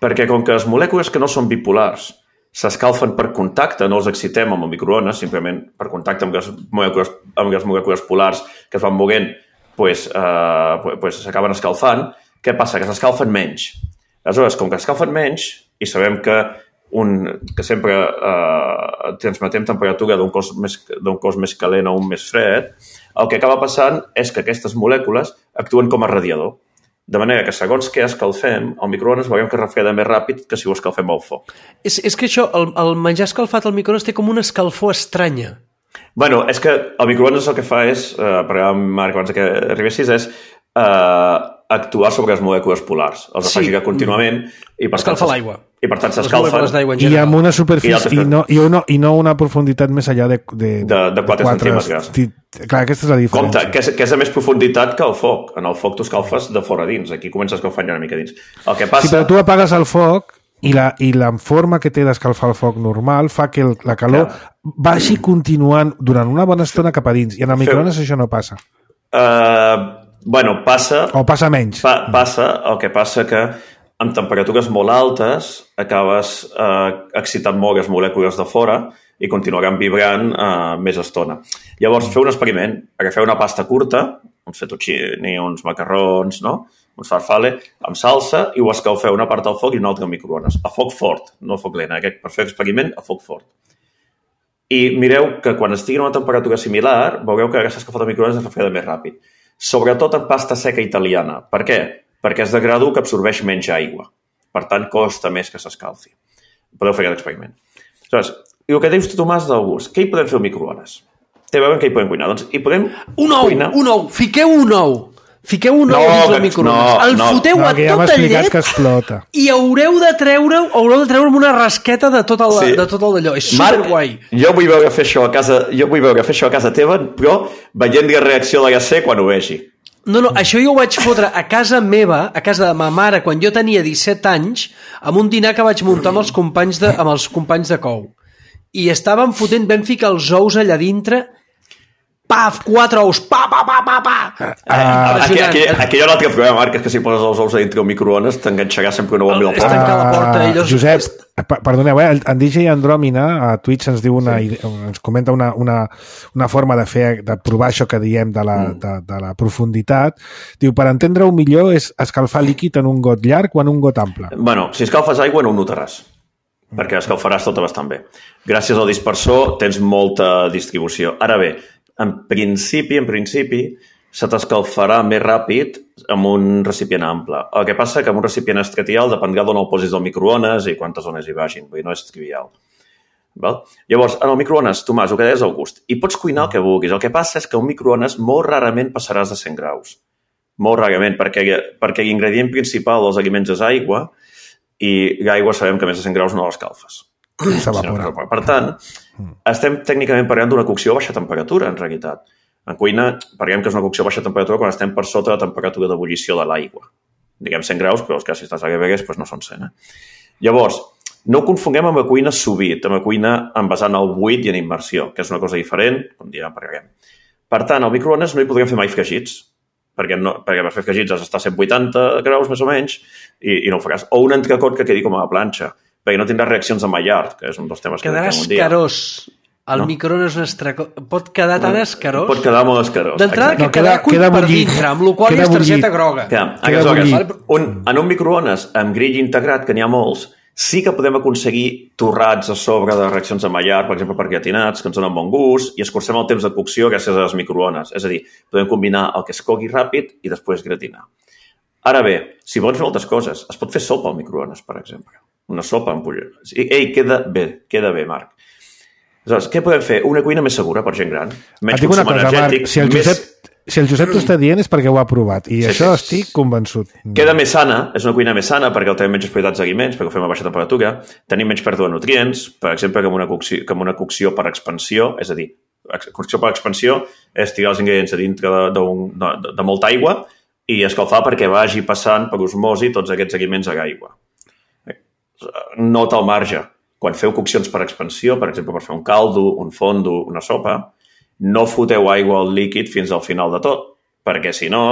Perquè com que les molècules que no són bipolars s'escalfen per contacte, no els excitem amb el microones, simplement per contacte amb les molècules, amb les molècules polars que es van moguent, pues, eh, pues s'acaben escalfant. Què passa? Que s'escalfen menys. Aleshores, com que s'escalfen menys, i sabem que, un, que sempre eh, transmetem temperatura d'un cos, més, d'un cos més calent a un més fred, el que acaba passant és que aquestes molècules actuen com a radiador. De manera que segons què escalfem, al microones veurem que refreda més ràpid que si ho escalfem al foc. És, és que això, el, el menjar escalfat al microones té com una escalfor estranya. Bueno, és que el microones el que fa és, eh, perquè Marc, abans que arribessis, és eh, actuar sobre les molècules polars. Els sí. afegirà contínuament i per escalfa l'aigua. i per tant Les s'escalfen. molécules d'aigua en I general. amb una superfície, I i, no, i, una, i no una profunditat més enllà de... De, De- de quatre centímetres. esti- Clar, aquesta és la diferència. Compte, que és, que és de més profunditat que el foc. En el foc tu escalfes de fora a dins. Aquí comences escalfant ja una mica dins. El que passa... Sí, però tu apagues el foc i la, i la forma que té d'escalfar el foc normal fa que el, la calor vagi continuant durant una bona estona cap a dins. I en el microones això no passa. Uh, bueno, passa... O passa menys. Pa, passa, el que passa que amb temperatures molt altes acabes eh, excitant molt les molècules de fora i continuaran vibrant eh, més estona. Llavors, feu un experiment. Agafeu una pasta curta, uns fettuccini, uns macarrons, no? uns farfalle, amb salsa, i ho escalfeu una part al foc i una altra al microones. A foc fort, no a foc lent. Aquest, per fer l'experiment, a foc fort. I mireu que quan estigui a una temperatura similar, veureu que aquesta escalfada al microones es refreda més ràpid. Sobretot en pasta seca italiana. Per què? Perquè és de gradu que absorbeix menys aigua. Per tant, costa més que s'escalfi. Podeu fer aquest experiment. Aleshores, i el que dius tu, Tomàs, del gust. Què hi podem fer al microones? Té a veure què hi podem cuinar. Doncs hi podem Un ou, cuinar... un ou. Fiqueu un ou. Fiqueu un No, ou dins que- el microones. no, el no. foteu No, a que ja m'ha tota explicat llet que explota. i haureu de treure haureu de treure amb una rasqueta de tot el, Sí. de tot el d'allò. És Marc, superguai. jo vull veure fer això a casa, jo vull veure fer això a casa teva, però veient la reacció de la C quan ho vegi. No, no, això jo ho vaig fotre a casa meva, a casa de ma mare, quan jo tenia disset anys, amb un dinar que vaig muntar amb els companys de, amb els companys de cou. I estàvem fotent, vam ficar els ous allà dintre, paf, quatre ous, pa, pa, pa, pa, pa. Ah, Aquí, aquí, aquí hi ha un altre problema, Marc, és que si poses els ous a dintre el microones t'enganxarà sempre una bomba al És porta. tancar la porta, Ah, ells- Josep, per- perdoneu, eh? en D J Andròmina a Twitch ens diu una, ide- ens comenta una, una, una forma de fer, de provar això que diem de la, de, de la profunditat. Diu, per entendre-ho millor és escalfar líquid en un got llarg o en un got ample. Bueno, si escalfes aigua no ho notaràs, perquè escalfaràs tota bastant bé. Gràcies al dispersor tens molta distribució. Ara bé, en principi, en principi, se t'escalfarà més ràpid amb un recipient ample. El que passa que amb un recipient estratial dependrà d'on el posis del microones i quantes zones hi vagin. Vull dir, no és trivial. Val? Llavors, en el microones, Tomàs, el que deies al gust. I pots cuinar el que vulguis. El que passa és que un microones molt rarament passaràs de cent graus. Molt rarament, perquè, perquè l'ingredient principal dels aliments és aigua i l'aigua sabem que més de cent graus no l'escalfes. S'evapora. Per tant, estem tècnicament parlant d'una cocció a baixa temperatura, en realitat. En cuina parlem que és una cocció a baixa temperatura quan estem per sota de la temperatura d'ebullició de l'aigua. Diguem cent graus, però és que si estàs a Vegas doncs no són cent. Eh? Llavors, no ho confonguem amb la cuina sous vide, amb la cuina envasant al buit i en immersió, que és una cosa diferent, com ja parlarem. Per tant, al microones no hi podrem fer mai fregits, perquè, no, perquè per fer fregits has d'estar a cent vuitanta graus més o menys i, i no ho faràs. O un entrecot que quedi com a la planxa, perquè no tindràs reaccions de Maillard, que és un dels temes Quedarà que tenim un dia. escarós. El No. microones estraco... pot quedar tan escarós. Pot quedar molt escarós. D'entrada que No, queda, queda- cuit queda per bullit. dintre, amb la qual Queda és targeta bullit. groga. Que, Queda aleshores, bullit. un, en un microones amb grill integrat, que n'hi ha molts, sí que podem aconseguir torrats a sobre de reaccions de Maillard, per exemple, per gratinats, que ens donen bon gust, i escurcem el temps de cocció gràcies a les microones. És a dir, podem combinar el que es cogui ràpid i després gratinar. Ara bé, si vols fer moltes coses, es pot fer sopa al microones, per exemple. Una sopa amb pollo. Ei, queda bé, queda bé, Marc. Aleshores, què podem fer? Una cuina més segura per gent gran, menys Et dic una consum cosa, energètic, Marc, si el més... Josep, si el Josep t'ho està dient és perquè ho ha provat, i Sí, això sí. estic convençut. Queda més sana, és una cuina més sana perquè tenim menys propietats d'aliments, perquè ho fem a baixa temperatura, tenim menys pèrdua de nutrients, per exemple, que amb una cocció, que amb una cocció per expansió, és a dir, cocció per expansió és tirar els ingredients a dintre de, de, de, de, de molta aigua i escalfar perquè vagi passant per osmosi tots aquests aliments a l'aigua. Nota al marge. Quan feu coccions per expansió, per exemple, per fer un caldo, un fondo, una sopa, no foteu aigua al líquid fins al final de tot, perquè si no,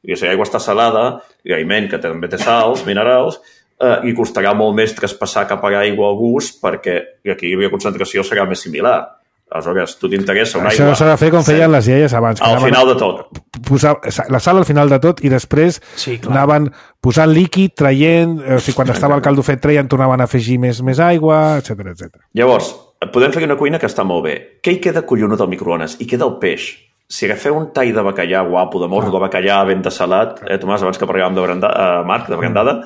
si l'aigua està salada, l'aliment que també té sals, minerals, eh, i costarà molt més traspassar cap a l'aigua al gust perquè l'equilibri de concentració serà més similar. Aleshores, tu t'interessa una Això aigua... s'ha de fer com feien les iaies abans. que Al anaven final de tot. Posar la sal al final de tot i després Sí, clar. anaven posant líquid, traient, o sigui, quan estava el caldo fet treien, tornaven a afegir més, més aigua, etcètera, etcètera. Llavors, podem fer una cuina que està molt bé. Què hi queda collonut al microones? Hi queda el peix. Si agafeu un tall de bacallà guapo, de morro de bacallà ben de salat, eh, Tomàs, abans que parlàvem de branda, eh, Marc, de brandada,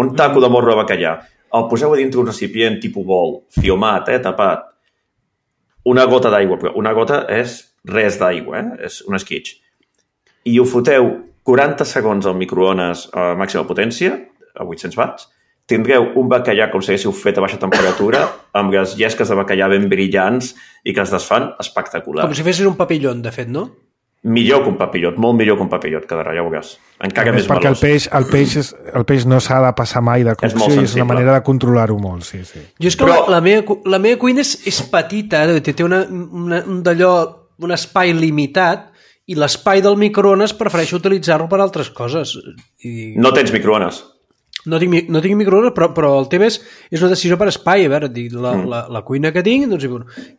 un taco de morro de bacallà, el poseu a dintre un recipient tipus bol, fiomat, eh, tapat, una gota d'aigua, però una gota és res d'aigua, eh? És un esquitx. I ho foteu quaranta segons al microones a màxima potència, a vuit-cents watts, tindreu un bacallà com si haguéssiu fet a baixa temperatura, amb les llesques de bacallà ben brillants i que es desfan espectacular. Com si fessis un papillon, de fet, no? Millor que un papillot, molt millor que un papillot, quedarà, ja ho veuràs. Encara més perquè melós. el peix, el, peix és, el peix no s'ha de passar mai de cocció i és una manera de controlar-ho molt, sí, sí. Jo és que Però... la, la, meva, la meva cuina és, és petita, té, té una, una, un d'allò, un espai limitat, i l'espai del microones prefereixo utilitzar-lo per altres coses. I... No tens microones? No tinc, no tinc microones, però, però el tema és, és una decisió per espai. A veure, la, mm. la, la cuina que tinc, doncs,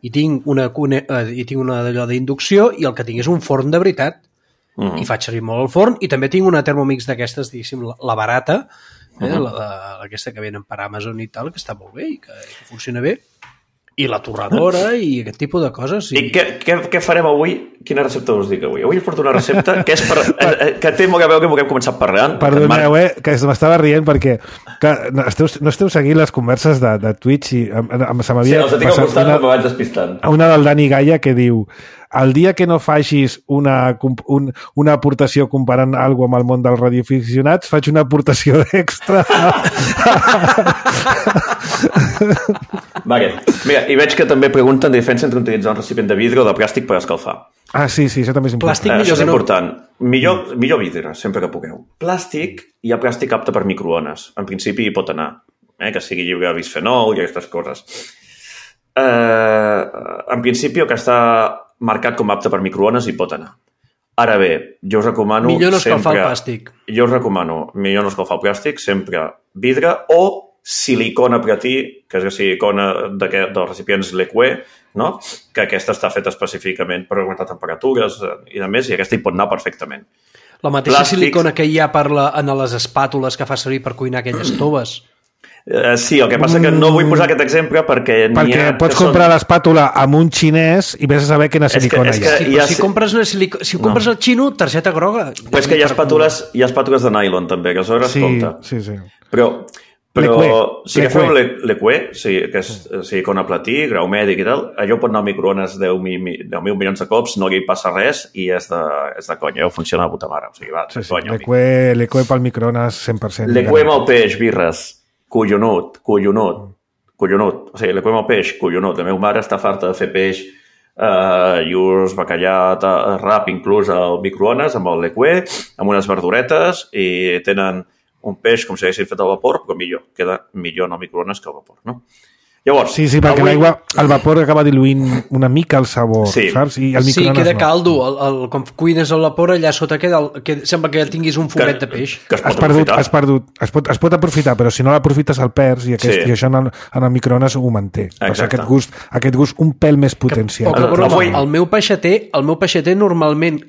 i tinc una, i tinc una d'allò d'inducció i el que tinc és un forn de veritat. Mm. I faig servir molt el forn i també tinc una Thermomix d'aquestes, diguéssim, la, la barata, eh, mm. la, la, aquesta que venen per Amazon i tal, que està molt bé i que, que funciona bé. I la torradora i aquest tipus de coses. Sí. I què, què, què farem avui? Quina recepta us dic avui? Avui us porto una recepta que, és per, eh, que té molt a veure que hem començat parlant. Perdoneu, eh, que m'estava rient perquè que no, esteu, no esteu seguint les converses de, de Twitch i em, em, se m'havia sí, els tinc al costat una, però vaig despistant. Una del Dani Gaia que diu: el dia que no facis una, un, una aportació comparant alguna amb el món dels radioaficionats, faig una aportació extra. Vale. Mira, i veig que també pregunten diferència entre utilitzar un recipient de vidre o de plàstic per escalfar. Ah, sí, sí, això també és important. Plàstic eh, millor això és no. important. Millor, millor vidre, sempre que pugueu. Plàstic, hi ha plàstic apte per microones. En principi hi pot anar, eh, que sigui lliure de bisfenol i aquestes coses. Eh, en principi, el que està marcat com apte per microones hi pot anar. Ara bé, jo us recomano... Millor no escalfar sempre, el plàstic. Jo us recomano, millor no escalfar el plàstic, sempre vidre o silicona pretí, que és la silicona dels recipients Lequé, no? Que aquesta està feta específicament per aguantar temperatures i a més, i aquesta hi pot anar perfectament. La mateixa Plàstics... silicona que hi ha per la, en les espàtules que fa servir per cuinar aquelles toves. Uh, sí, el que passa que no vull posar aquest exemple perquè... Perquè ha, pots són... comprar l'espàtula amb un xinès i vés a saber quina silicona és que, és que hi ha. Sí, si compres, una silico... si compres no. el xino, targeta groga. Però és que hi ha espàtules, hi ha espàtules de nylon també, que aleshores sí, compta. Sí, sí. Però... Però Lequé. si agafeu Lequé, sí, que és silicona platí, grau mèdic i tal, allò pot anar a microones deu mil milions de cops, no li passa res i és de, és de conya, ho funciona a puta mare. O sigui, va, sí, sí. conya. Lequé, Lequé pel microones cent per cent. Lequé amb el peix, birres, collonut, collonut, collonut. O sigui, Lequé amb el peix, collonut. La meva mare està farta de fer peix eh, lluç, bacallà, rap, inclús al microones amb el Lequé, amb unes verduretes i tenen un peix com si haguessin fet al vapor, però millor. Queda millor en el microones que al vapor, no? Llavors... Sí, sí, perquè avui... l'aigua, el vapor acaba diluint una mica el sabor, sí. saps? I el sí, queda no. caldo. El, el, com cuines al vapor, allà sota queda... El, que sembla que tinguis un fumet que, de peix. Que es pot has perdut, aprofitar. has perdut, es, pot, es pot aprofitar, però si no l'aprofites el perds i, aquest, sí. i això en el, en el microones ho manté. Aquest gust, aquest gust un pèl més potenciat. Que, el, avui... el meu peixater, el meu peixater normalment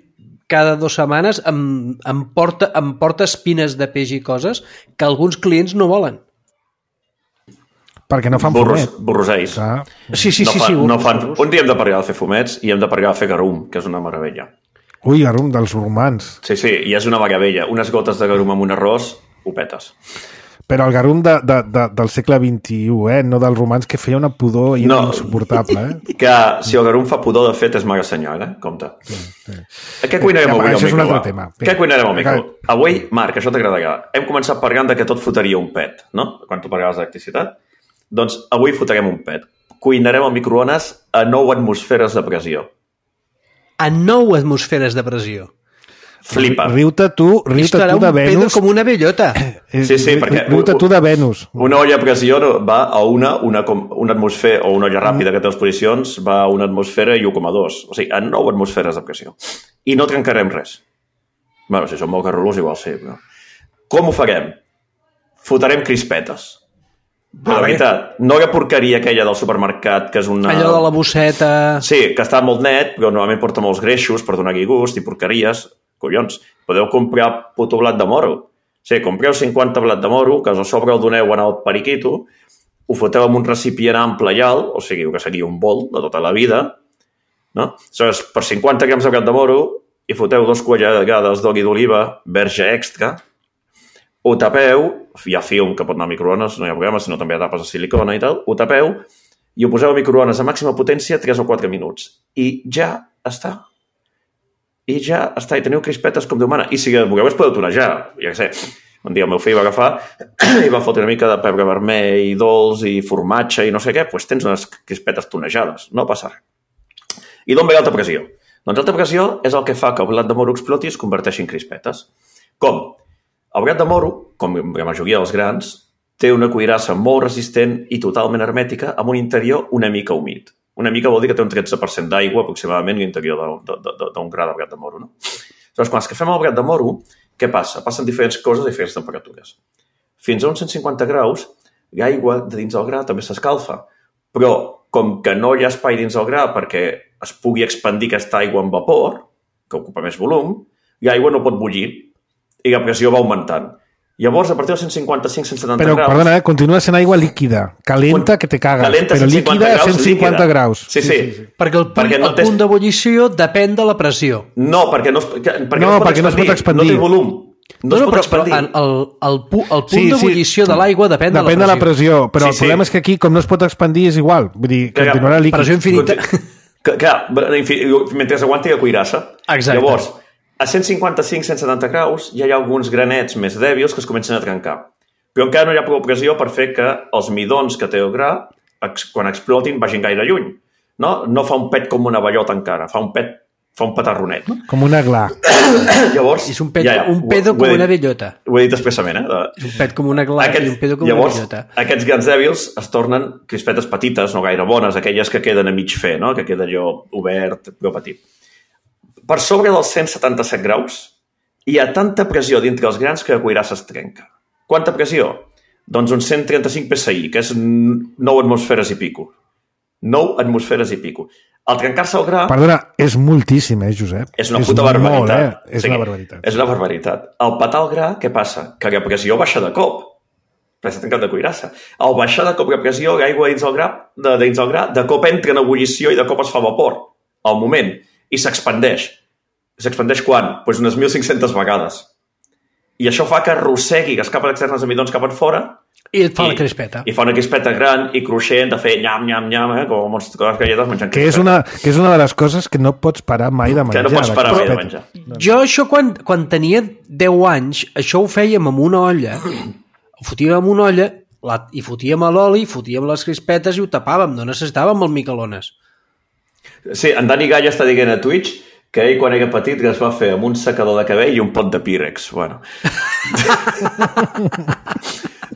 cada dues setmanes em, em, porta, em porta espines de peix i coses que alguns clients no volen. Perquè no fan Burros, fumet. Borroseis. Ah. Sí, sí, no sí. fan, sí no burros, fan. burros. Un dia hem de parar a fer fumets i hem de parar a fer garum, que és una meravella. Ui, garum dels romans. Sí, sí, i és una meravella. Unes gotes de garum amb un arròs, ho petes. Però el garum de, de, de, del segle vint-i-u, eh? No dels romans, que feia una pudor i no, era insuportable. Eh? Que si el garum fa pudor, de fet, és mala senyal, eh? Compte. Sí, sí. Què cuinarem ja, avui al això micro? És un altre tema. Què cuinarem al micro? Avui, Marc, això t'agradarà. Hem començat parlant de que tot fotria un pet, no? Quan tu pagaves d'electricitat. Doncs avui fotrem un pet. Cuinarem al microones a nou atmosferes de pressió. A nou atmosferes de pressió. Flipa. Riu-te tu, riu-te tu de Venus. Com una bellota. Sí, sí, perquè... Riu-te tu de Venus. Una olla a pressió va a una, una, una atmosfera, o una olla ràpida que té les posicions, va a una atmosfera i u coma dos. O sigui, a nou atmosferes de pressió. I no trencarem res. Bé, si som molt garrulos, igual sí. Però... Com ho farem? Fotarem crispetes. Però la veritat, no la porqueria aquella del supermercat, que és una... Allò de la bosseta... Sí, que està molt net, però normalment porta molts greixos per donar-hi gust i porqueries. Collons, podeu comprar puto blat de moro. Sí, compreu cinquanta blat de moro, que a sobre el doneu en el periquito, ho foteu en un recipient ample i alt, o sigui, que seria un bol de tota la vida, no? Aleshores, per cinquanta grams de blat de moro, hi foteu dos cullerades d'oli d'oliva, verge extra, ho tapeu, hi ha film que pot anar a microones, no hi ha problema, sinó també hi ha tapes de silicona i tal, ho tapeu i ho poseu a microones a màxima potència tres o quatre minuts. I ja està. I ja està, i teniu crispetes com Déu mana. I si voleu es podeu tonejar, ja què sé, Un dia el meu fill va agafar i va fotre una mica de pebre vermell i dolç i formatge i no sé què, doncs tens unes crispetes tonejades, no passa res. I d'on ve l'alta pressió? Doncs l'alta pressió és el que fa que el blat de moro exploti i es converteixi en crispetes. Com? El blat de moro, com la majoria dels grans, té una cuirassa molt resistent i totalment hermètica amb un interior una mica humit. Una mica vol dir que té un tretze per cent d'aigua aproximadament l'interior d'un gra de blat de moro. No? Llavors, quan escafem el blat de moro, què passa? Passen diferents coses a diferents temperatures. Fins a uns cent cinquanta graus, l'aigua de dins del gra també s'escalfa, però com que no hi ha espai dins del gra perquè es pugui expandir aquesta aigua en vapor, que ocupa més volum, l'aigua no pot bullir i la pressió va augmentant. Llavors, a partir dels cent cinquanta-cinc a cent setanta però, graus... Però, perdona, eh? Continua sent aigua líquida. Calenta que te cagues. Calenta però líquida a cent cinquanta graus. Sí, sí. sí, sí. Perquè el, punt, perquè no el tens... punt d'ebullició depèn de la pressió. No, perquè no es, perquè no, no es pot perquè expandir. No, es pot expandir. No té volum. No, No, es no, pot però, expandir. però el, el, pu, el punt Sí, sí. d'ebullició de l'aigua depèn, Depèn de la pressió. Però Sí, el problema sí. és que aquí, com no es pot expandir, és igual. Vull dir, Que- continuarà líquid. Pressió infinita. Que, clar, mentre aguanti la cuirassa. Exacte. Llavors, a cent cinquanta-cinc a cent setanta graus ja hi ha alguns granets més dèbils que es comencen a trencar. Però encara no hi ha prou pressió per fer que els midons que té el gra, ex, quan explotin, vagin gaire lluny. No? No fa un pet com una bellota encara, fa un pet, fa un petarronet. No? Com una gla. Llavors, És un, pet, ja, ja, un pedo ho- com ho he una dit- bellota. Ho he dit expressament, eh? De... És un pet com una gla i un pedo com llavors, una bellota. aquests grans dèbils es tornen crispetes petites, no gaire bones, aquelles que queden a mig fer, no? Que queda allò obert, però petit. Per sobre dels cent setanta-set graus hi ha tanta pressió dintre els grans que la cuirassa es trenca. Quanta pressió? Doncs uns cent trenta-cinc P S I, que és nou atmosferes i pico. nou atmosferes i pico. Al trencar-se el gra... Perdona, és moltíssim, eh, Josep? És una és puta barbaritat. Molt, eh? És Sí, una barbaritat. És una barbaritat. Al petar el gra, què passa? Que la pressió baixa de cop. Perquè s'ha trencat de cuirassa. Al baixar de cop la pressió, l'aigua dins el gra, de, dins el gra, de cop entra en ebullició i de cop es fa vapor. Al moment. I s'expandeix. S'expandeix quan? Doncs pues unes mil cinc-centes vegades. I això fa que arrossegui les capes externes de midons cap enfora I et fa la crispeta. I fa una crispeta gran i cruixent de fer nyam, nyam, nyam, eh? Com les galletes menjant Que és, una, que és una de les coses que no pots parar mai de menjar. Que no pots parar mai de crispeta. menjar. Jo això, quan, quan tenia deu anys, això ho fèiem amb una olla, ho fotíem amb una olla, la, i fotíem a l'oli, fotíem les crispetes i ho tapàvem, no necessitàvem el microones. Sí, en Dani Galla està dient a Twitch que ell, quan era petit, es va fer amb un secador de cabell i un pot de Pyrex. Bueno.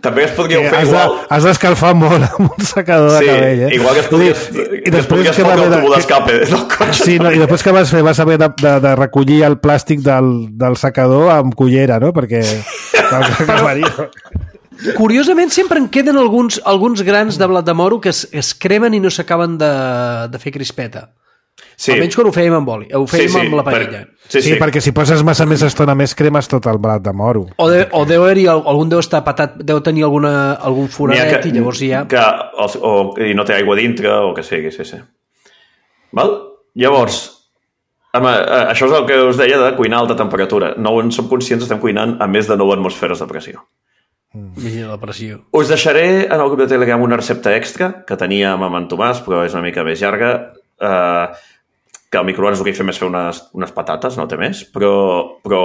També es podria Que fer has, igual. de, has d'escalfar molt amb un secador Sí, de cabell, eh? igual que es podria, I, i, i després es que podria vas fotre el haver tubo de, d'escape del cotxe. sí, no, i després que vas fer vas haver de, de, de recollir el plàstic del, del secador amb cullera, no? Perquè... Però... Curiosament, sempre en queden alguns, alguns grans de blat de moro que es, es cremen i no s'acaben de, de fer crispeta. Sí. Almenys quan ho fèiem amb oli, ho fèiem Sí, sí, amb la per- paella. Sí, Sí, sí. perquè si poses massa més estona més cremes tot el blat de moro. O, de, o deu haver-hi, algun deu estar patat, deu tenir alguna, algun N'hi ha foradet i llavors hi ha... Que, o, o, i no té aigua dintre, o que sigui, sí, sí. Val? Llavors, home, això és el que us deia de cuinar a alta temperatura. No en som conscients, estem cuinant a més de nou atmosferes de pressió. Vigila la pressió. Us deixaré en el grup de Telegram una recepta extra que teníem amb en Tomàs, però és una mica més llarga, eh, que al microones el que hi fem és fer unes, unes patates, no té més, però, però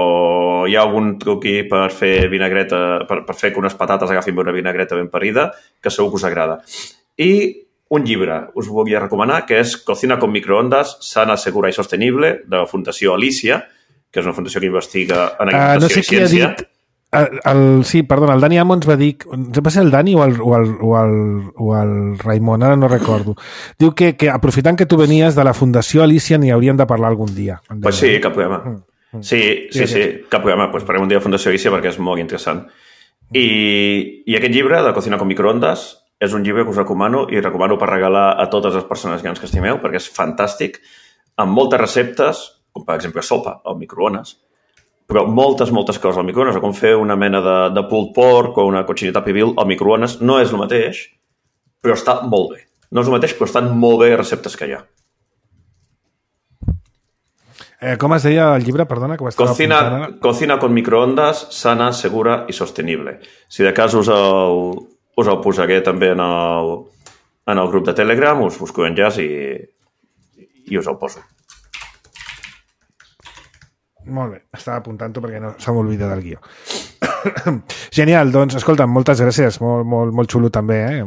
hi ha algun truqui per fer vinagreta, per, per fer que unes patates agafin una vinagreta ben parida, que segur que us agrada. I un llibre us volia recomanar, que és Cocina con microondas, sana, segura i sostenible, de la Fundació Alicia, que és una fundació que investiga en Uh, no sé alimentació qui i ha ciència. dit... El, el, sí, perdona, el Dani Amons va dir... Va ser el Dani o el, o el, o el, o el Raimon, ara no recordo. Diu que, que aprofitant que tu venies de la Fundació Alicia n'hi hauríem de parlar algun dia. Pues sí, cap problema. Sí, sí, sí, cap problema. Pues parlem un dia de Fundació Alicia perquè és molt interessant. I, I aquest llibre, de Cocina con microondas, és un llibre que us recomano i recomano per regalar a totes les persones grans que estimeu perquè és fantàstic, amb moltes receptes, com per exemple sopa al microones, però moltes, moltes coses al microones, com fer una mena de, de pulled pork o una cochinita pibil al microones, no és el mateix, però està molt bé. No és el mateix, però estan molt bé les receptes que hi ha. Eh, com es deia el llibre, perdona? Que Cocina, cocina con microondas, sana, segura i sostenible. Si de cas us el, us el posaré també en el, en el grup de Telegram, us busco enllaç i, i us el poso. Molt bé, estava apuntant-ho perquè no se m'oblida del guió. Genial, doncs, escolta, moltes gràcies, molt, molt, molt xulo també, eh?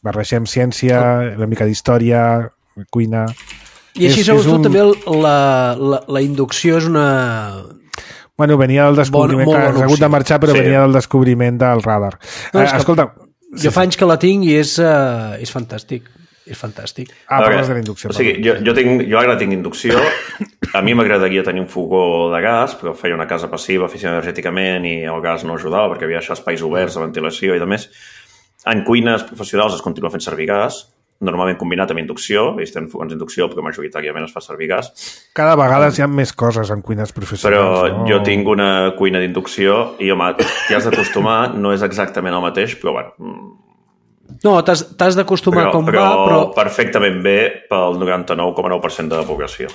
Barregem ciència, una mica d'història, cuina... I així, segons tu, també la, la, la inducció és una... Bueno, venia del descobriment, bon, que has hagut de marxar, però sí. Venia del descobriment del radar. No, eh, escolta... Jo fa anys que la tinc i és, uh, és fantàstic. És fantàstic. Ah, parles de la inducció. O sigui, jo, jo, tinc, jo ara tinc inducció. A mi m'agradaria tenir un fogó de gas, però feia una casa passiva, eficient energèticament, i el gas no ajudava perquè havia això espais oberts de ventilació i de més. En cuines professionals es continua fent servir gas, normalment combinat amb inducció, ells tenen fogons d'inducció, però majoritàriament es fa servir gas. Cada vegada hi ha més coses en cuines professionals. Però no? Jo tinc una cuina d'inducció i, home, t'hi has d'acostumar, no és exactament el mateix, però, bueno... No, t'has d'acostumar com però, va, però... perfectament bé pel noranta-nou coma nou per cent de la població.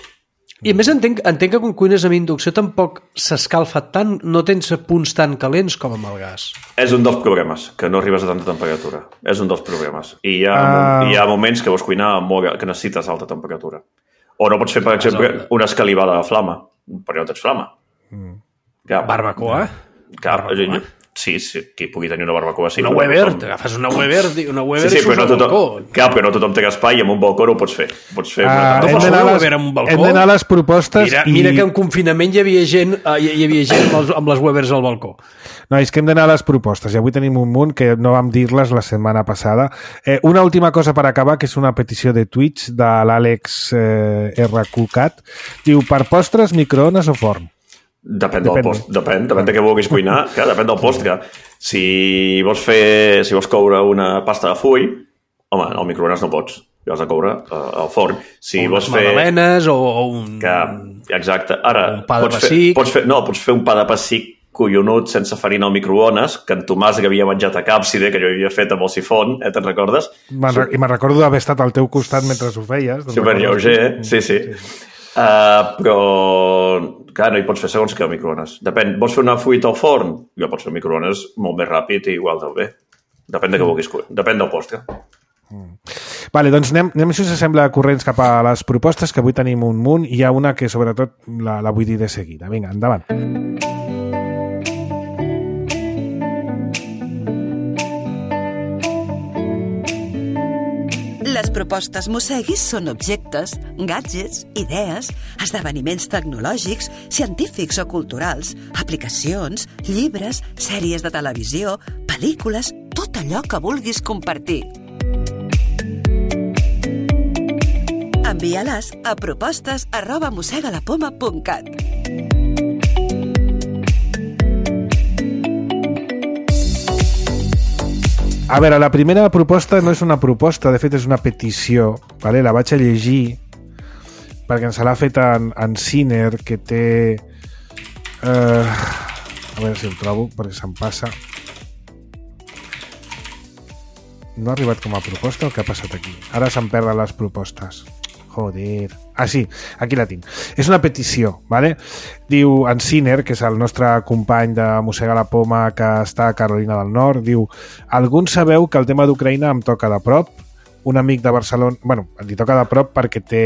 I a més entenc, entenc que quan cuines amb inducció tampoc s'escalfa tant, no tens punts tan calents com amb el gas. És un dels problemes, que no arribes a tanta temperatura. És un dels problemes. I hi ha, uh... hi ha moments que vols cuinar molt, que necessites alta temperatura. O no pots fer, per exemple, una escalivada de flama, perquè no tens flama. Mm. Cap. Barbacoa? Cap. Barbacoa? Sí, sí, qui pugui tenir una barbacoa... Sí, una Weber, t'agafes una Weber, una Weber sí, sí, i surts no al balcó. Clar, però no tothom té espai i amb un balcó no ho pots fer. Pots fer uh, una... No pots fer una Weber amb un balcó? Hem d'anar a les propostes mira, i... Mira que en confinament hi havia gent, uh, hi havia gent amb, els, amb les Webers al balcó. No, és que hem d'anar a les propostes i avui tenim un munt que no vam dir-les la setmana passada. Eh, una última cosa per acabar, que és una petició de Twitch de l'Àlex eh, R Q Cat. Diu, per postres, microones o forn? Depèn, depèn del post, depèn, depèn de què vulguis cuinar, clar, depèn del postre. Si vols fer, si vols coure una pasta de full, home, al microones no pots, ho has de coure uh, al forn. Si o vols unes fer... magdalenes o, o un... Que, exacte, ara... Un pa de pots pessic. Fer, pots fer, no, pots fer un pa de pessic collonut sense farina al microones, que en Tomàs que havia menjat a Càpside, que jo havia fet amb el sifon, eh, te'n recordes? I me'n recordo d'haver estat al teu costat mentre ho feies. Super lleuger, eh? Sí, sí. sí, sí. Uh, però, clar, no hi pots fer segons que al microones. Depèn, vols fer una fruita al forn? Ja pots fer microones molt més ràpid i igual de bé. Depèn de què vulguis, depèn del postre. Mm. Vale, doncs anem, anem, si us sembla, corrents cap a les propostes, que avui tenim un munt, i hi ha una que sobretot la, la vull dir de seguida. Vinga, endavant. Les propostes Mosseguis són objectes, gadgets, idees, esdeveniments tecnològics, científics o culturals, aplicacions, llibres, sèries de televisió, pel·lícules, tot allò que vulguis compartir. Envia-les a propostes arroba mossegalapoma punt cat. A veure, la primera proposta no és una proposta, de fet és una petició, vale? La vaig a llegir perquè ens l'ha fet en, en Ciner, que té... Uh, a veure si el trobo, perquè se'm passa. No ha arribat com a proposta o què ha passat aquí? Ara se'm perden les propostes. Joder. Ah, sí, aquí la tinc. És una petició, ¿vale? Diu en Ciner, que és el nostre company de Mossega la Poma que està a Carolina del Nord, diu: alguns sabeu que el tema d'Ucraïna em toca de prop. Un amic de Barcelona... Bueno, li toca de prop perquè té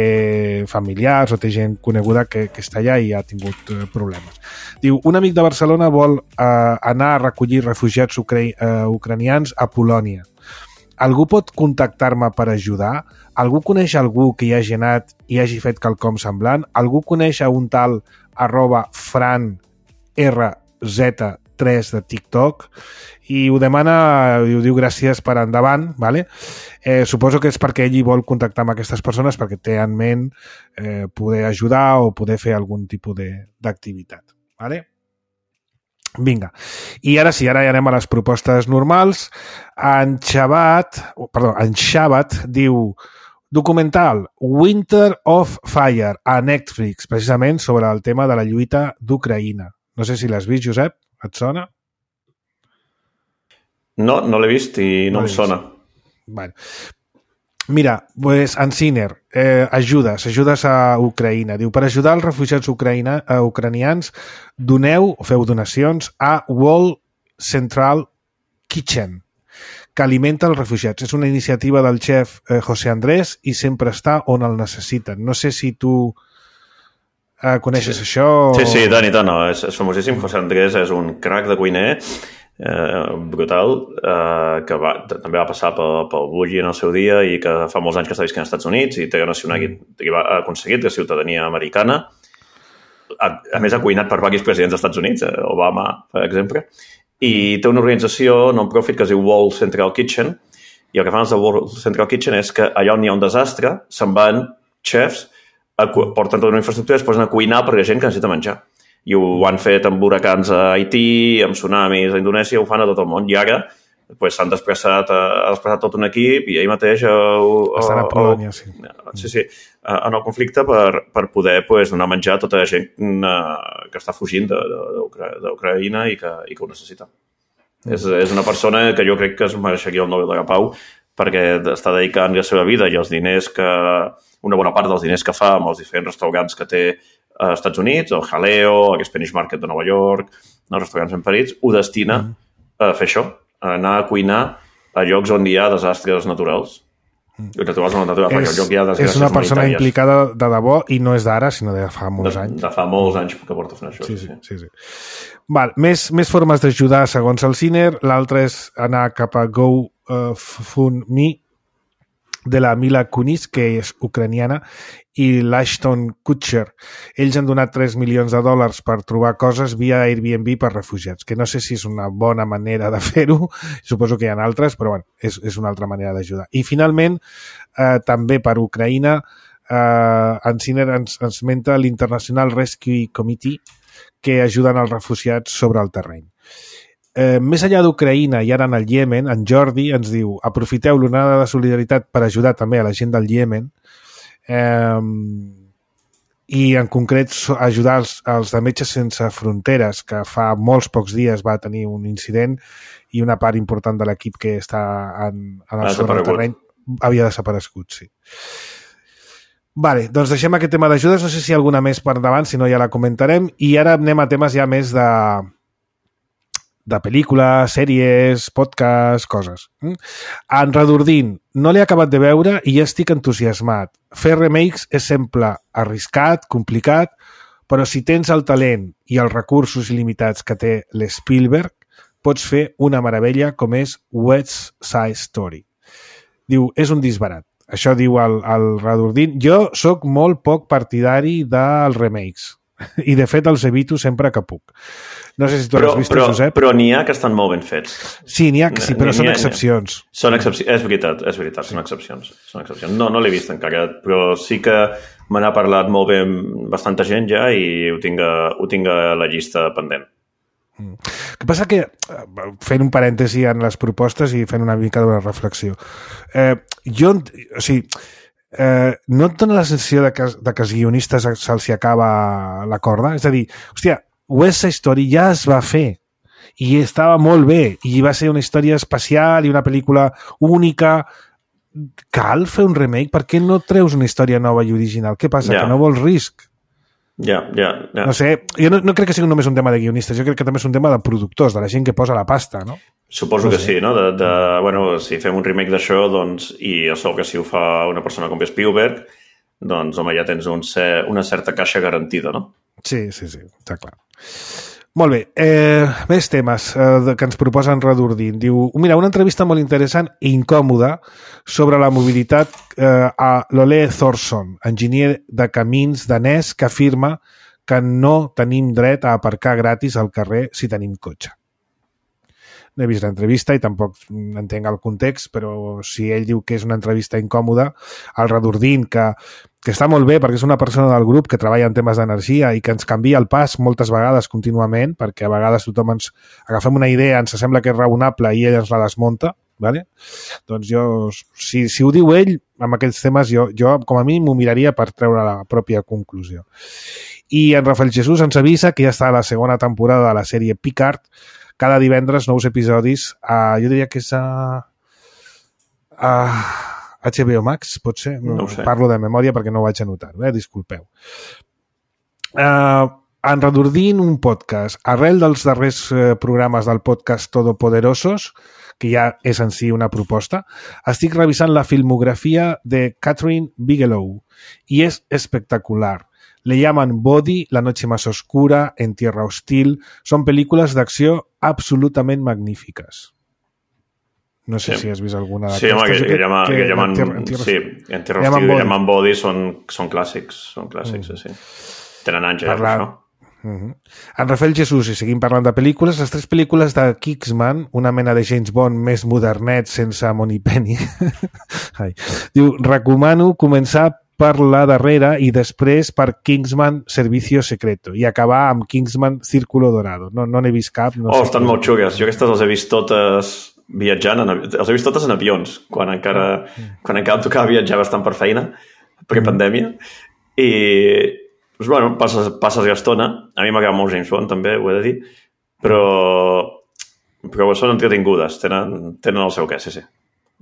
familiars o té gent coneguda que, que està allà i ha tingut eh, problemes. Diu, un amic de Barcelona vol eh, anar a recollir refugiats ucra eh, ucranians a Polònia. Algú pot contactar-me per ajudar? Algú coneix algú que hi hagi anat i hagi fet quelcom semblant? Algú coneix a un tal arroba fran r z tres de TikTok? I ho demana, i ho diu gràcies per endavant, ¿vale? Eh, suposo que és perquè ell hi vol contactar amb aquestes persones perquè té en ment eh, poder ajudar o poder fer algun tipus d'activitat, ¿vale? Vinga. I ara sí, ara ja anem a les propostes normals. En Xabat, perdó, en Xabat diu documental Winter of Fire a Netflix, precisament sobre el tema de la lluita d'Ucraïna. No sé si l'has vist, Josep, et sona? No, no l'he vist i no, no em sona. Vale. Mira, pues, en Ciner, eh, ajudes, ajudes a Ucraïna. Diu, per ajudar els refugiats ucraïna, eh, ucranians, doneu, o feu donacions a World Central Kitchen, que alimenta els refugiats. És una iniciativa del xef eh, José Andrés i sempre està on el necessiten. No sé si tu Uh, coneixes sí. això? Sí, sí, tant i tant. No. És, és famosíssim. José Andrés és un crac de cuiner eh, brutal, eh, que va, també va passar pel, pel Bulli en el seu dia i que fa molts anys que està visquent als Estats Units i té nacionalitat, i va aconseguit la ciutadania americana. A, a més, ha cuinat per diversos presidents dels Estats Units, eh, Obama, per exemple, i té una organització non-profit que es diu World Central Kitchen, i el que fan els de World Central Kitchen és que allà on hi ha un desastre se'n van xefs, a, porten tota una infraestructura i es posen a cuinar per a gent que necessita menjar. I ho han fet amb huracans a Haití, amb tsunamis a Indonèsia, ho fan a tot el món. I ara pues, s'han desplaçat, ha desplaçat tot un equip i ahir mateix... Uh, Estan a Polònia, sí. Sí, sí, en el conflicte per, per poder pues, donar menjar a tota la gent uh, que està fugint d'Ucraïna i, que, i que ho necessita. Mm. És, és una persona que jo crec que es mereixeria el Nobel de la Pau perquè està dedicant la seva vida i els diners que... una bona part dels diners que fa amb els diferents restaurants que té als Estats Units, el Jaleo, el Spanish Market de Nova York, els restaurants ben parits, ho destina mm. a fer això, a anar a cuinar a llocs on hi ha desastres naturals. Mm. Naturals o no naturals, perquè el lloc hi ha desgràcies és una persona humanitàries. Implicada de debò i no és d'ara, sinó de fa molts de, anys. De fa molts anys que porta fent això. Sí, sí, sí. sí. Val, més, més formes d'ajudar segons el Ciner. L'altre és anar cap a GoFundMe de la Mila Kunis, que és ucraniana, i l'Ashton Kutcher. Ells han donat tres milions de dòlars per trobar coses via Airbnb per refugiats, que no sé si és una bona manera de fer-ho, suposo que hi ha altres, però bueno, és, és una altra manera d'ajudar. I finalment, eh, també per Ucraïna, eh, en Ciner ens, ens menta l'International Rescue Committee, que ajuden els refugiats sobre el terreny. Eh, més enllà d'Ucraïna i ara en el Iemen, en Jordi ens diu: aprofiteu l'onada de solidaritat per ajudar també a la gent del Iemen eh, i en concret ajudar els, els de Metges Sense Fronteres, que fa molts pocs dies va tenir un incident i una part important de l'equip que està en, en el sobre el terreny havia desaparegut, sí. Vale, doncs deixem aquest tema d'ajudes, no sé si hi ha alguna més per davant, si no ja la comentarem, i ara anem a temes ja més de de pel·lícules, sèries, podcasts, coses. En Redordin, no l'he acabat de veure i ja estic entusiasmat. Fer remakes és sempre arriscat, complicat, però si tens el talent i els recursos il·limitats que té l'Spielberg, pots fer una meravella com és West Side Story. Diu, és un disbarat. Això diu el, el Redordin. Jo sóc molt poc partidari dels remakes i de fet els evito sempre que puc. No sé si tu però, l'has vist, però, Josep. Però n'hi ha que estan molt ben fets. Sí, n'hi ha que sí, però són excepcions. Són excepcions, és veritat, és veritat, són excepcions. Són excepcions. No, no l'he vist encara, però sí que me n'ha parlat molt bé bastanta gent ja i ho tinc a, ho tinc a la llista pendent. El que passa que, fent un parèntesi en les propostes i fent una mica de reflexió, eh, jo, o sigui, eh, no et dona la sensació de que, de que als guionistes se'ls acaba la corda? És a dir, hòstia, West Side Story ja es va fer i estava molt bé i va ser una història especial i una pel·lícula única. Cal fer un remake? Per què no treus una història nova i original? Què passa? Yeah. Que no vols risc? Ja, ja, ja. No sé, jo no, no crec que sigui només un tema de guionistes, jo crec que també és un tema de productors, de la gent que posa la pasta, no? Suposo no que sé. Sí, no? De, de, bueno, si fem un remake d'això, doncs, i a sobre que si ho fa una persona com Spielberg, doncs, home, ja tens un, una certa caixa garantida, no? Sí, sí, sí, està clar. Molt bé, eh, més temes eh, que ens proposen Redordin. Diu, mira, una entrevista molt interessant i incòmoda sobre la mobilitat eh, a l'Ole Thorsson, enginyer de camins danès, que afirma que no tenim dret a aparcar gratis al carrer si tenim cotxe. No he vist l'entrevista i tampoc entenc el context, però si ell diu que és una entrevista incòmoda, el Redordin, que, que està molt bé perquè és una persona del grup que treballa en temes d'energia i que ens canvia el pas moltes vegades contínuament, perquè a vegades tothom ens agafem una idea, ens sembla que és raonable i ell ens la desmunta, ¿vale? Doncs jo, si, si ho diu ell, amb aquests temes, jo, jo com a mi m'ho miraria per treure la pròpia conclusió. I en Rafael Jesús ens avisa que ja està a la segona temporada de la sèrie Picard, cada divendres nous episodis, a, jo diria que és a, a H B O Max, pot ser? No, no sé. Parlo de memòria perquè no ho vaig anotar, eh? Disculpeu. Uh, en Redordin, un podcast. Arrel dels darrers eh, programes del podcast Todopoderosos, que ja és en si una proposta, estic revisant la filmografia de Catherine Bigelow i és espectacular. Le llaman Body, La noche más oscura, En tierra hostil. Són pel·lícules d'acció absolutament magnífiques. No sé sí. si has vist alguna d'aquestes. Sí, home, que, que, que, llaman, que, que llaman, en tierra, en tierra, sí, En tierra hostil i llaman Body són, són clàssics, són clàssics, mm. sí, sí. Tenen anys, ja, per això. Uh-huh. En Rafael Jesús, i seguim parlant de pel·lícules, les tres pel·lícules de Kingsman, una mena de James Bond més modernet sense Moneypenny. Diu, recomano començar per la darrera i després per Kingsman Servicio Secreto i acabar amb Kingsman Círculo Dorado. No, no n'he vist cap. No oh, sé estan molt xugues. Jo aquestes les he vist totes viatjant, en, les he vist totes en avions, quan encara, quan encara em tocava viatjar bastant per feina, pre-pandèmia, i pues, bueno, passes, passes l'estona. A mi m'agrada molt James Bond, també, ho he de dir, però, però són entretingudes, tenen, tenen el seu què, sí, sí.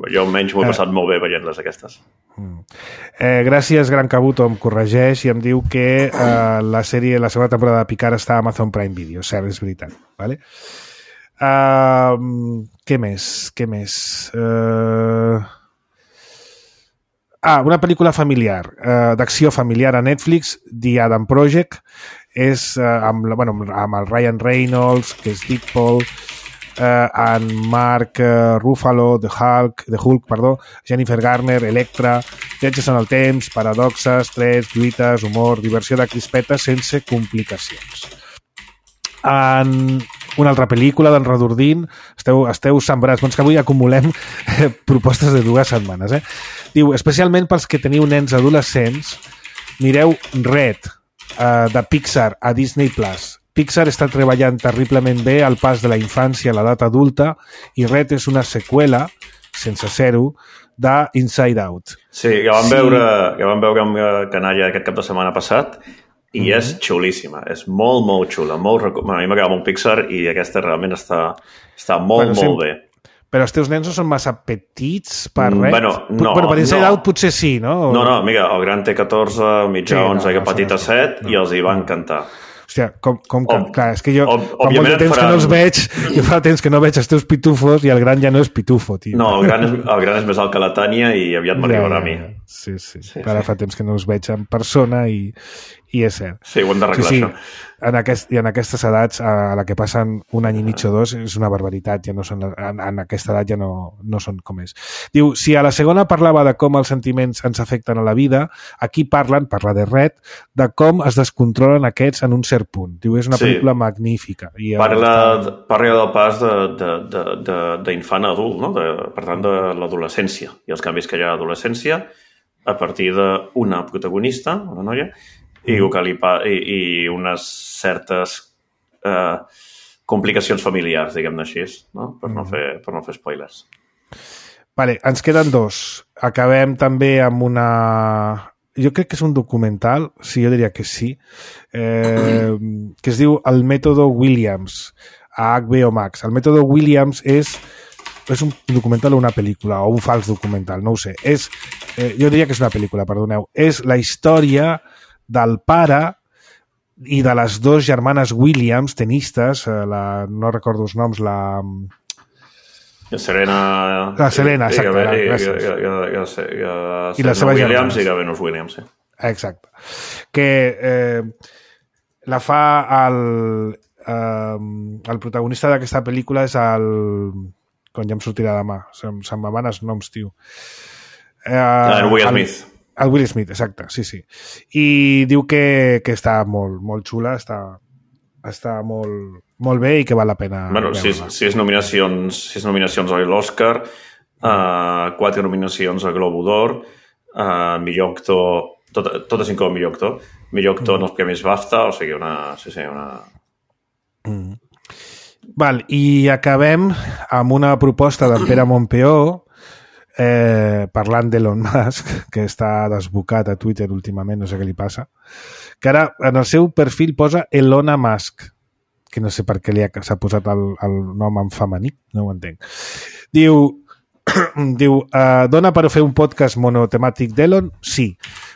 Jo almenys m'ho he passat molt bé veient-les, aquestes. Eh, gràcies, Gran Cabuto, em corregeix i em diu que eh, la sèrie, la segona temporada de Picard està a Amazon Prime Video, cert, és veritat. Vale? Uh, què més? Què més? Uh... Ah, una pel·lícula familiar, uh, d'acció familiar a Netflix, The Adam Project, és uh, amb, bueno, amb el Ryan Reynolds, que és Deadpool, uh, en Mark uh, Ruffalo, The Hulk, The Hulk, perdó, Jennifer Garner, Electra, viatges en el temps, paradoxes, trets, lluites, humor, diversió de crispetes sense complicacions. En una altra pel·lícula d'en Redordín, esteu, esteu sembrats, doncs que avui acumulem eh, propostes de dues setmanes. Eh? Diu, especialment pels que teniu nens adolescents, mireu Red, eh, de Pixar a Disney Plus. Pixar està treballant terriblement bé al pas de la infància a l'edat adulta i Red és una seqüela, sense ser-ho, de Inside Out. Sí, que vam, sí. Veure, que vam veure amb Canalla aquest cap de setmana passat i mm-hmm. és xulíssima, és molt, molt xula. Molt rec... bueno, a mi m'agrada molt Pixar i aquesta realment està, està molt, bueno, molt sempre... bé. Però els teus nens no són massa petits per res? Bueno, no. Però per Inside no. Out potser sí, no? O... No, no, amiga, el gran té catorze, el mitjà sí, onze, no, el petit a set no. i els hi va encantar. Hòstia, com, com que... Ob, clar, és que jo ob, fa molt de temps faran... que no els veig, jo fa temps que no veig els teus pitufos i el gran ja no és pitufo, tio. No, el gran és, el gran és més alt que la Tània i aviat m'arribarà ja, a mi. Sí, sí, sí. Ara sí. Fa temps que no els veig en persona i, i és cert. Sí, ho hem d'arreglar, sí, sí. això. En aquest, I en aquestes edats, a la que passen un any i mig o dos, és una barbaritat. Ja no són, en, en aquesta edat ja no, no són com és. Diu, si a la segona parlava de com els sentiments ens afecten a la vida, aquí parlen, parla de Red, de com es descontrolen aquests en un cert punt. Diu, és una sí. pel·lícula magnífica. I parla, està... parla del pas d'infant a adult, no? De, per tant, de l'adolescència i els canvis que hi ha a l'adolescència a partir d'una protagonista, una noia, i, i, i unes certes eh, complicacions familiars, diguem-ne així, no? Per, no fer, per no fer spoilers. Vale, ens queden dos. Acabem també amb una... Jo crec que és un documental, sí, jo diria que sí, eh, que es diu El mètode Williams, a H B O Max. El mètode Williams és... és un documental o una pel·lícula, o un fals documental, no ho sé. És, eh, jo diria que és una pel·lícula, perdoneu. És la història del pare i de les dues germanes Williams, tenistes, la, no recordo els noms, la... La Serena... La Serena, exacte. I, i, gràcies. I, i, i, i, i, I la seva Williams germana. I la Venus Williams, sí. Exacte. Que eh, la fa el, eh, el protagonista d'aquesta pel·lícula és el... Quan ja em sortirà demà. Se'n se van els noms, tio. Eh, el Will Smith. El Will Smith, exacte, sí, sí. I diu que, que està molt, molt xula, està, està molt, molt bé i que val la pena bueno, sis, sis nominacions, sis nominacions a l'Oscar, uh, quatre nominacions a Globo d'Or, uh, millor actor, tot, totes inclou millor actor, millor actor mm. en els premis BAFTA, o sigui, una... Sí, sí, una... Mm. Val, i acabem amb una proposta d'en Pere Montpeó, Eh, parlant d'Elon Musk, que està desbocat a Twitter últimament, no sé què li passa, que ara en el seu perfil posa Elona Musk, que no sé per què li ha, s'ha posat el, el nom en femení, no ho entenc. Diu, diu eh, dona per fer un podcast monotemàtic d'Elon? Sí.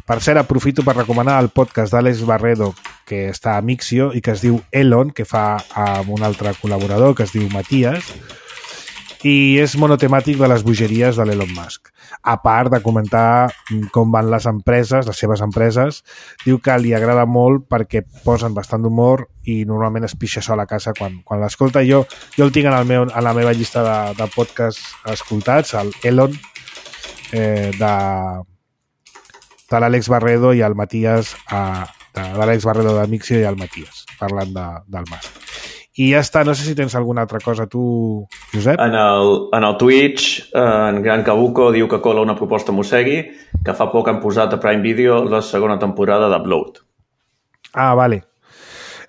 Per cert, aprofito per recomanar el podcast d'Àlex Barredo, que està a Mixio i que es diu Elon, que fa amb un altre col·laborador que es diu Matías, i és monotemàtic de les bogeries de l'Elon Musk. a part de comentar com van les empreses, les seves empreses. Diu que li agrada molt perquè posen bastant d'humor i normalment es pixa sol a casa quan, quan l'escolta. Jo, jo el tinc en, el meu, en la meva llista de, de podcasts escoltats, el Elon, eh, de, de l'Àlex Barredo i el Matías, a, de l'Àlex Barredo de Mixio i el Matías, parlant de, del Mas. I ja està, no sé si tens alguna altra cosa tu, Josep. En el, en el Twitch, en Gran Cabuco diu que cola una proposta Mossegui, que fa poc han posat a Prime Video la segona temporada d'Upload. Ah, vale.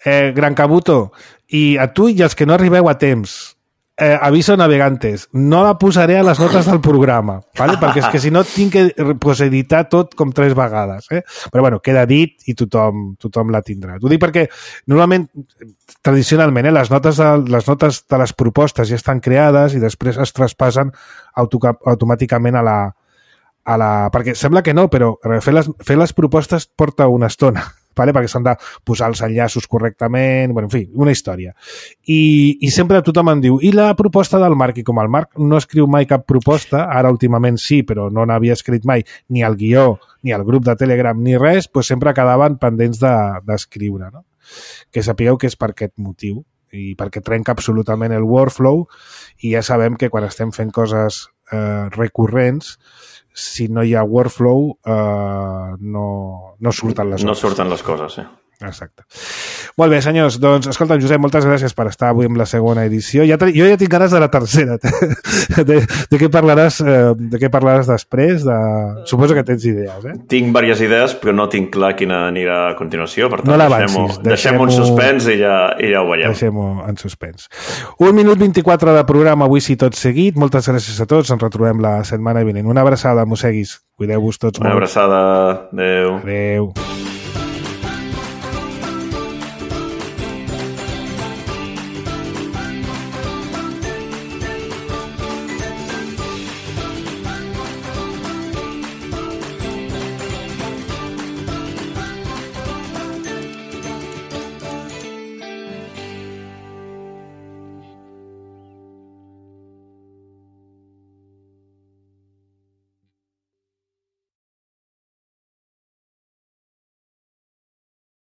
Eh, Gran Cabuto, i a tu i als que no arribeu a temps, eh, aviso navegantes, no la posaré a les notes del programa, ¿vale? Perquè és que si no tinc que pues, editar tot com tres vegades. Eh? Però bueno, queda dit i tothom, tothom la tindrà. T'ho dic perquè normalment, tradicionalment, eh, les, notes de, les notes de les propostes ja estan creades i després es traspassen auto, automàticament a la, a la... Perquè sembla que no, però fer les, fer les propostes porta una estona. Vale? Perquè s'han de posar els enllaços correctament, bueno, en fi, una història. I, i sempre tothom em diu, i la proposta del Marc? I com el Marc no escriu mai cap proposta, ara últimament sí, però no n'havia escrit mai ni el guió, ni el grup de Telegram, ni res, doncs sempre quedaven pendents d'escriure. De, no? Que sapigueu que és per aquest motiu i perquè trenca absolutament el workflow i ja sabem que quan estem fent coses eh, recurrents, si no hi ha workflow, eh, no, no surten les coses. No surten les coses, sí. Exacte. Molt bé, senyors. Doncs, escolta, Josep, moltes gràcies per estar avui amb la segona edició. Ja te, jo ja tinc ganes de la tercera. De, de, què, parlaràs, eh, de què parlaràs després? De... Suposo que tens idees, eh? Tinc diverses idees, però no tinc clar quina anirà a continuació. Per tant, no l'avancis. Deixem-ho deixem en suspens i ja, i ja ho veiem. Deixem-ho en suspens. Un minut vint-i-quatre de programa, avui sí tot seguit. Moltes gràcies a tots. Ens retrobem la setmana vinent. Una abraçada, mosseguis. Cuideu-vos tots Una molt. abraçada. Adéu. Adéu.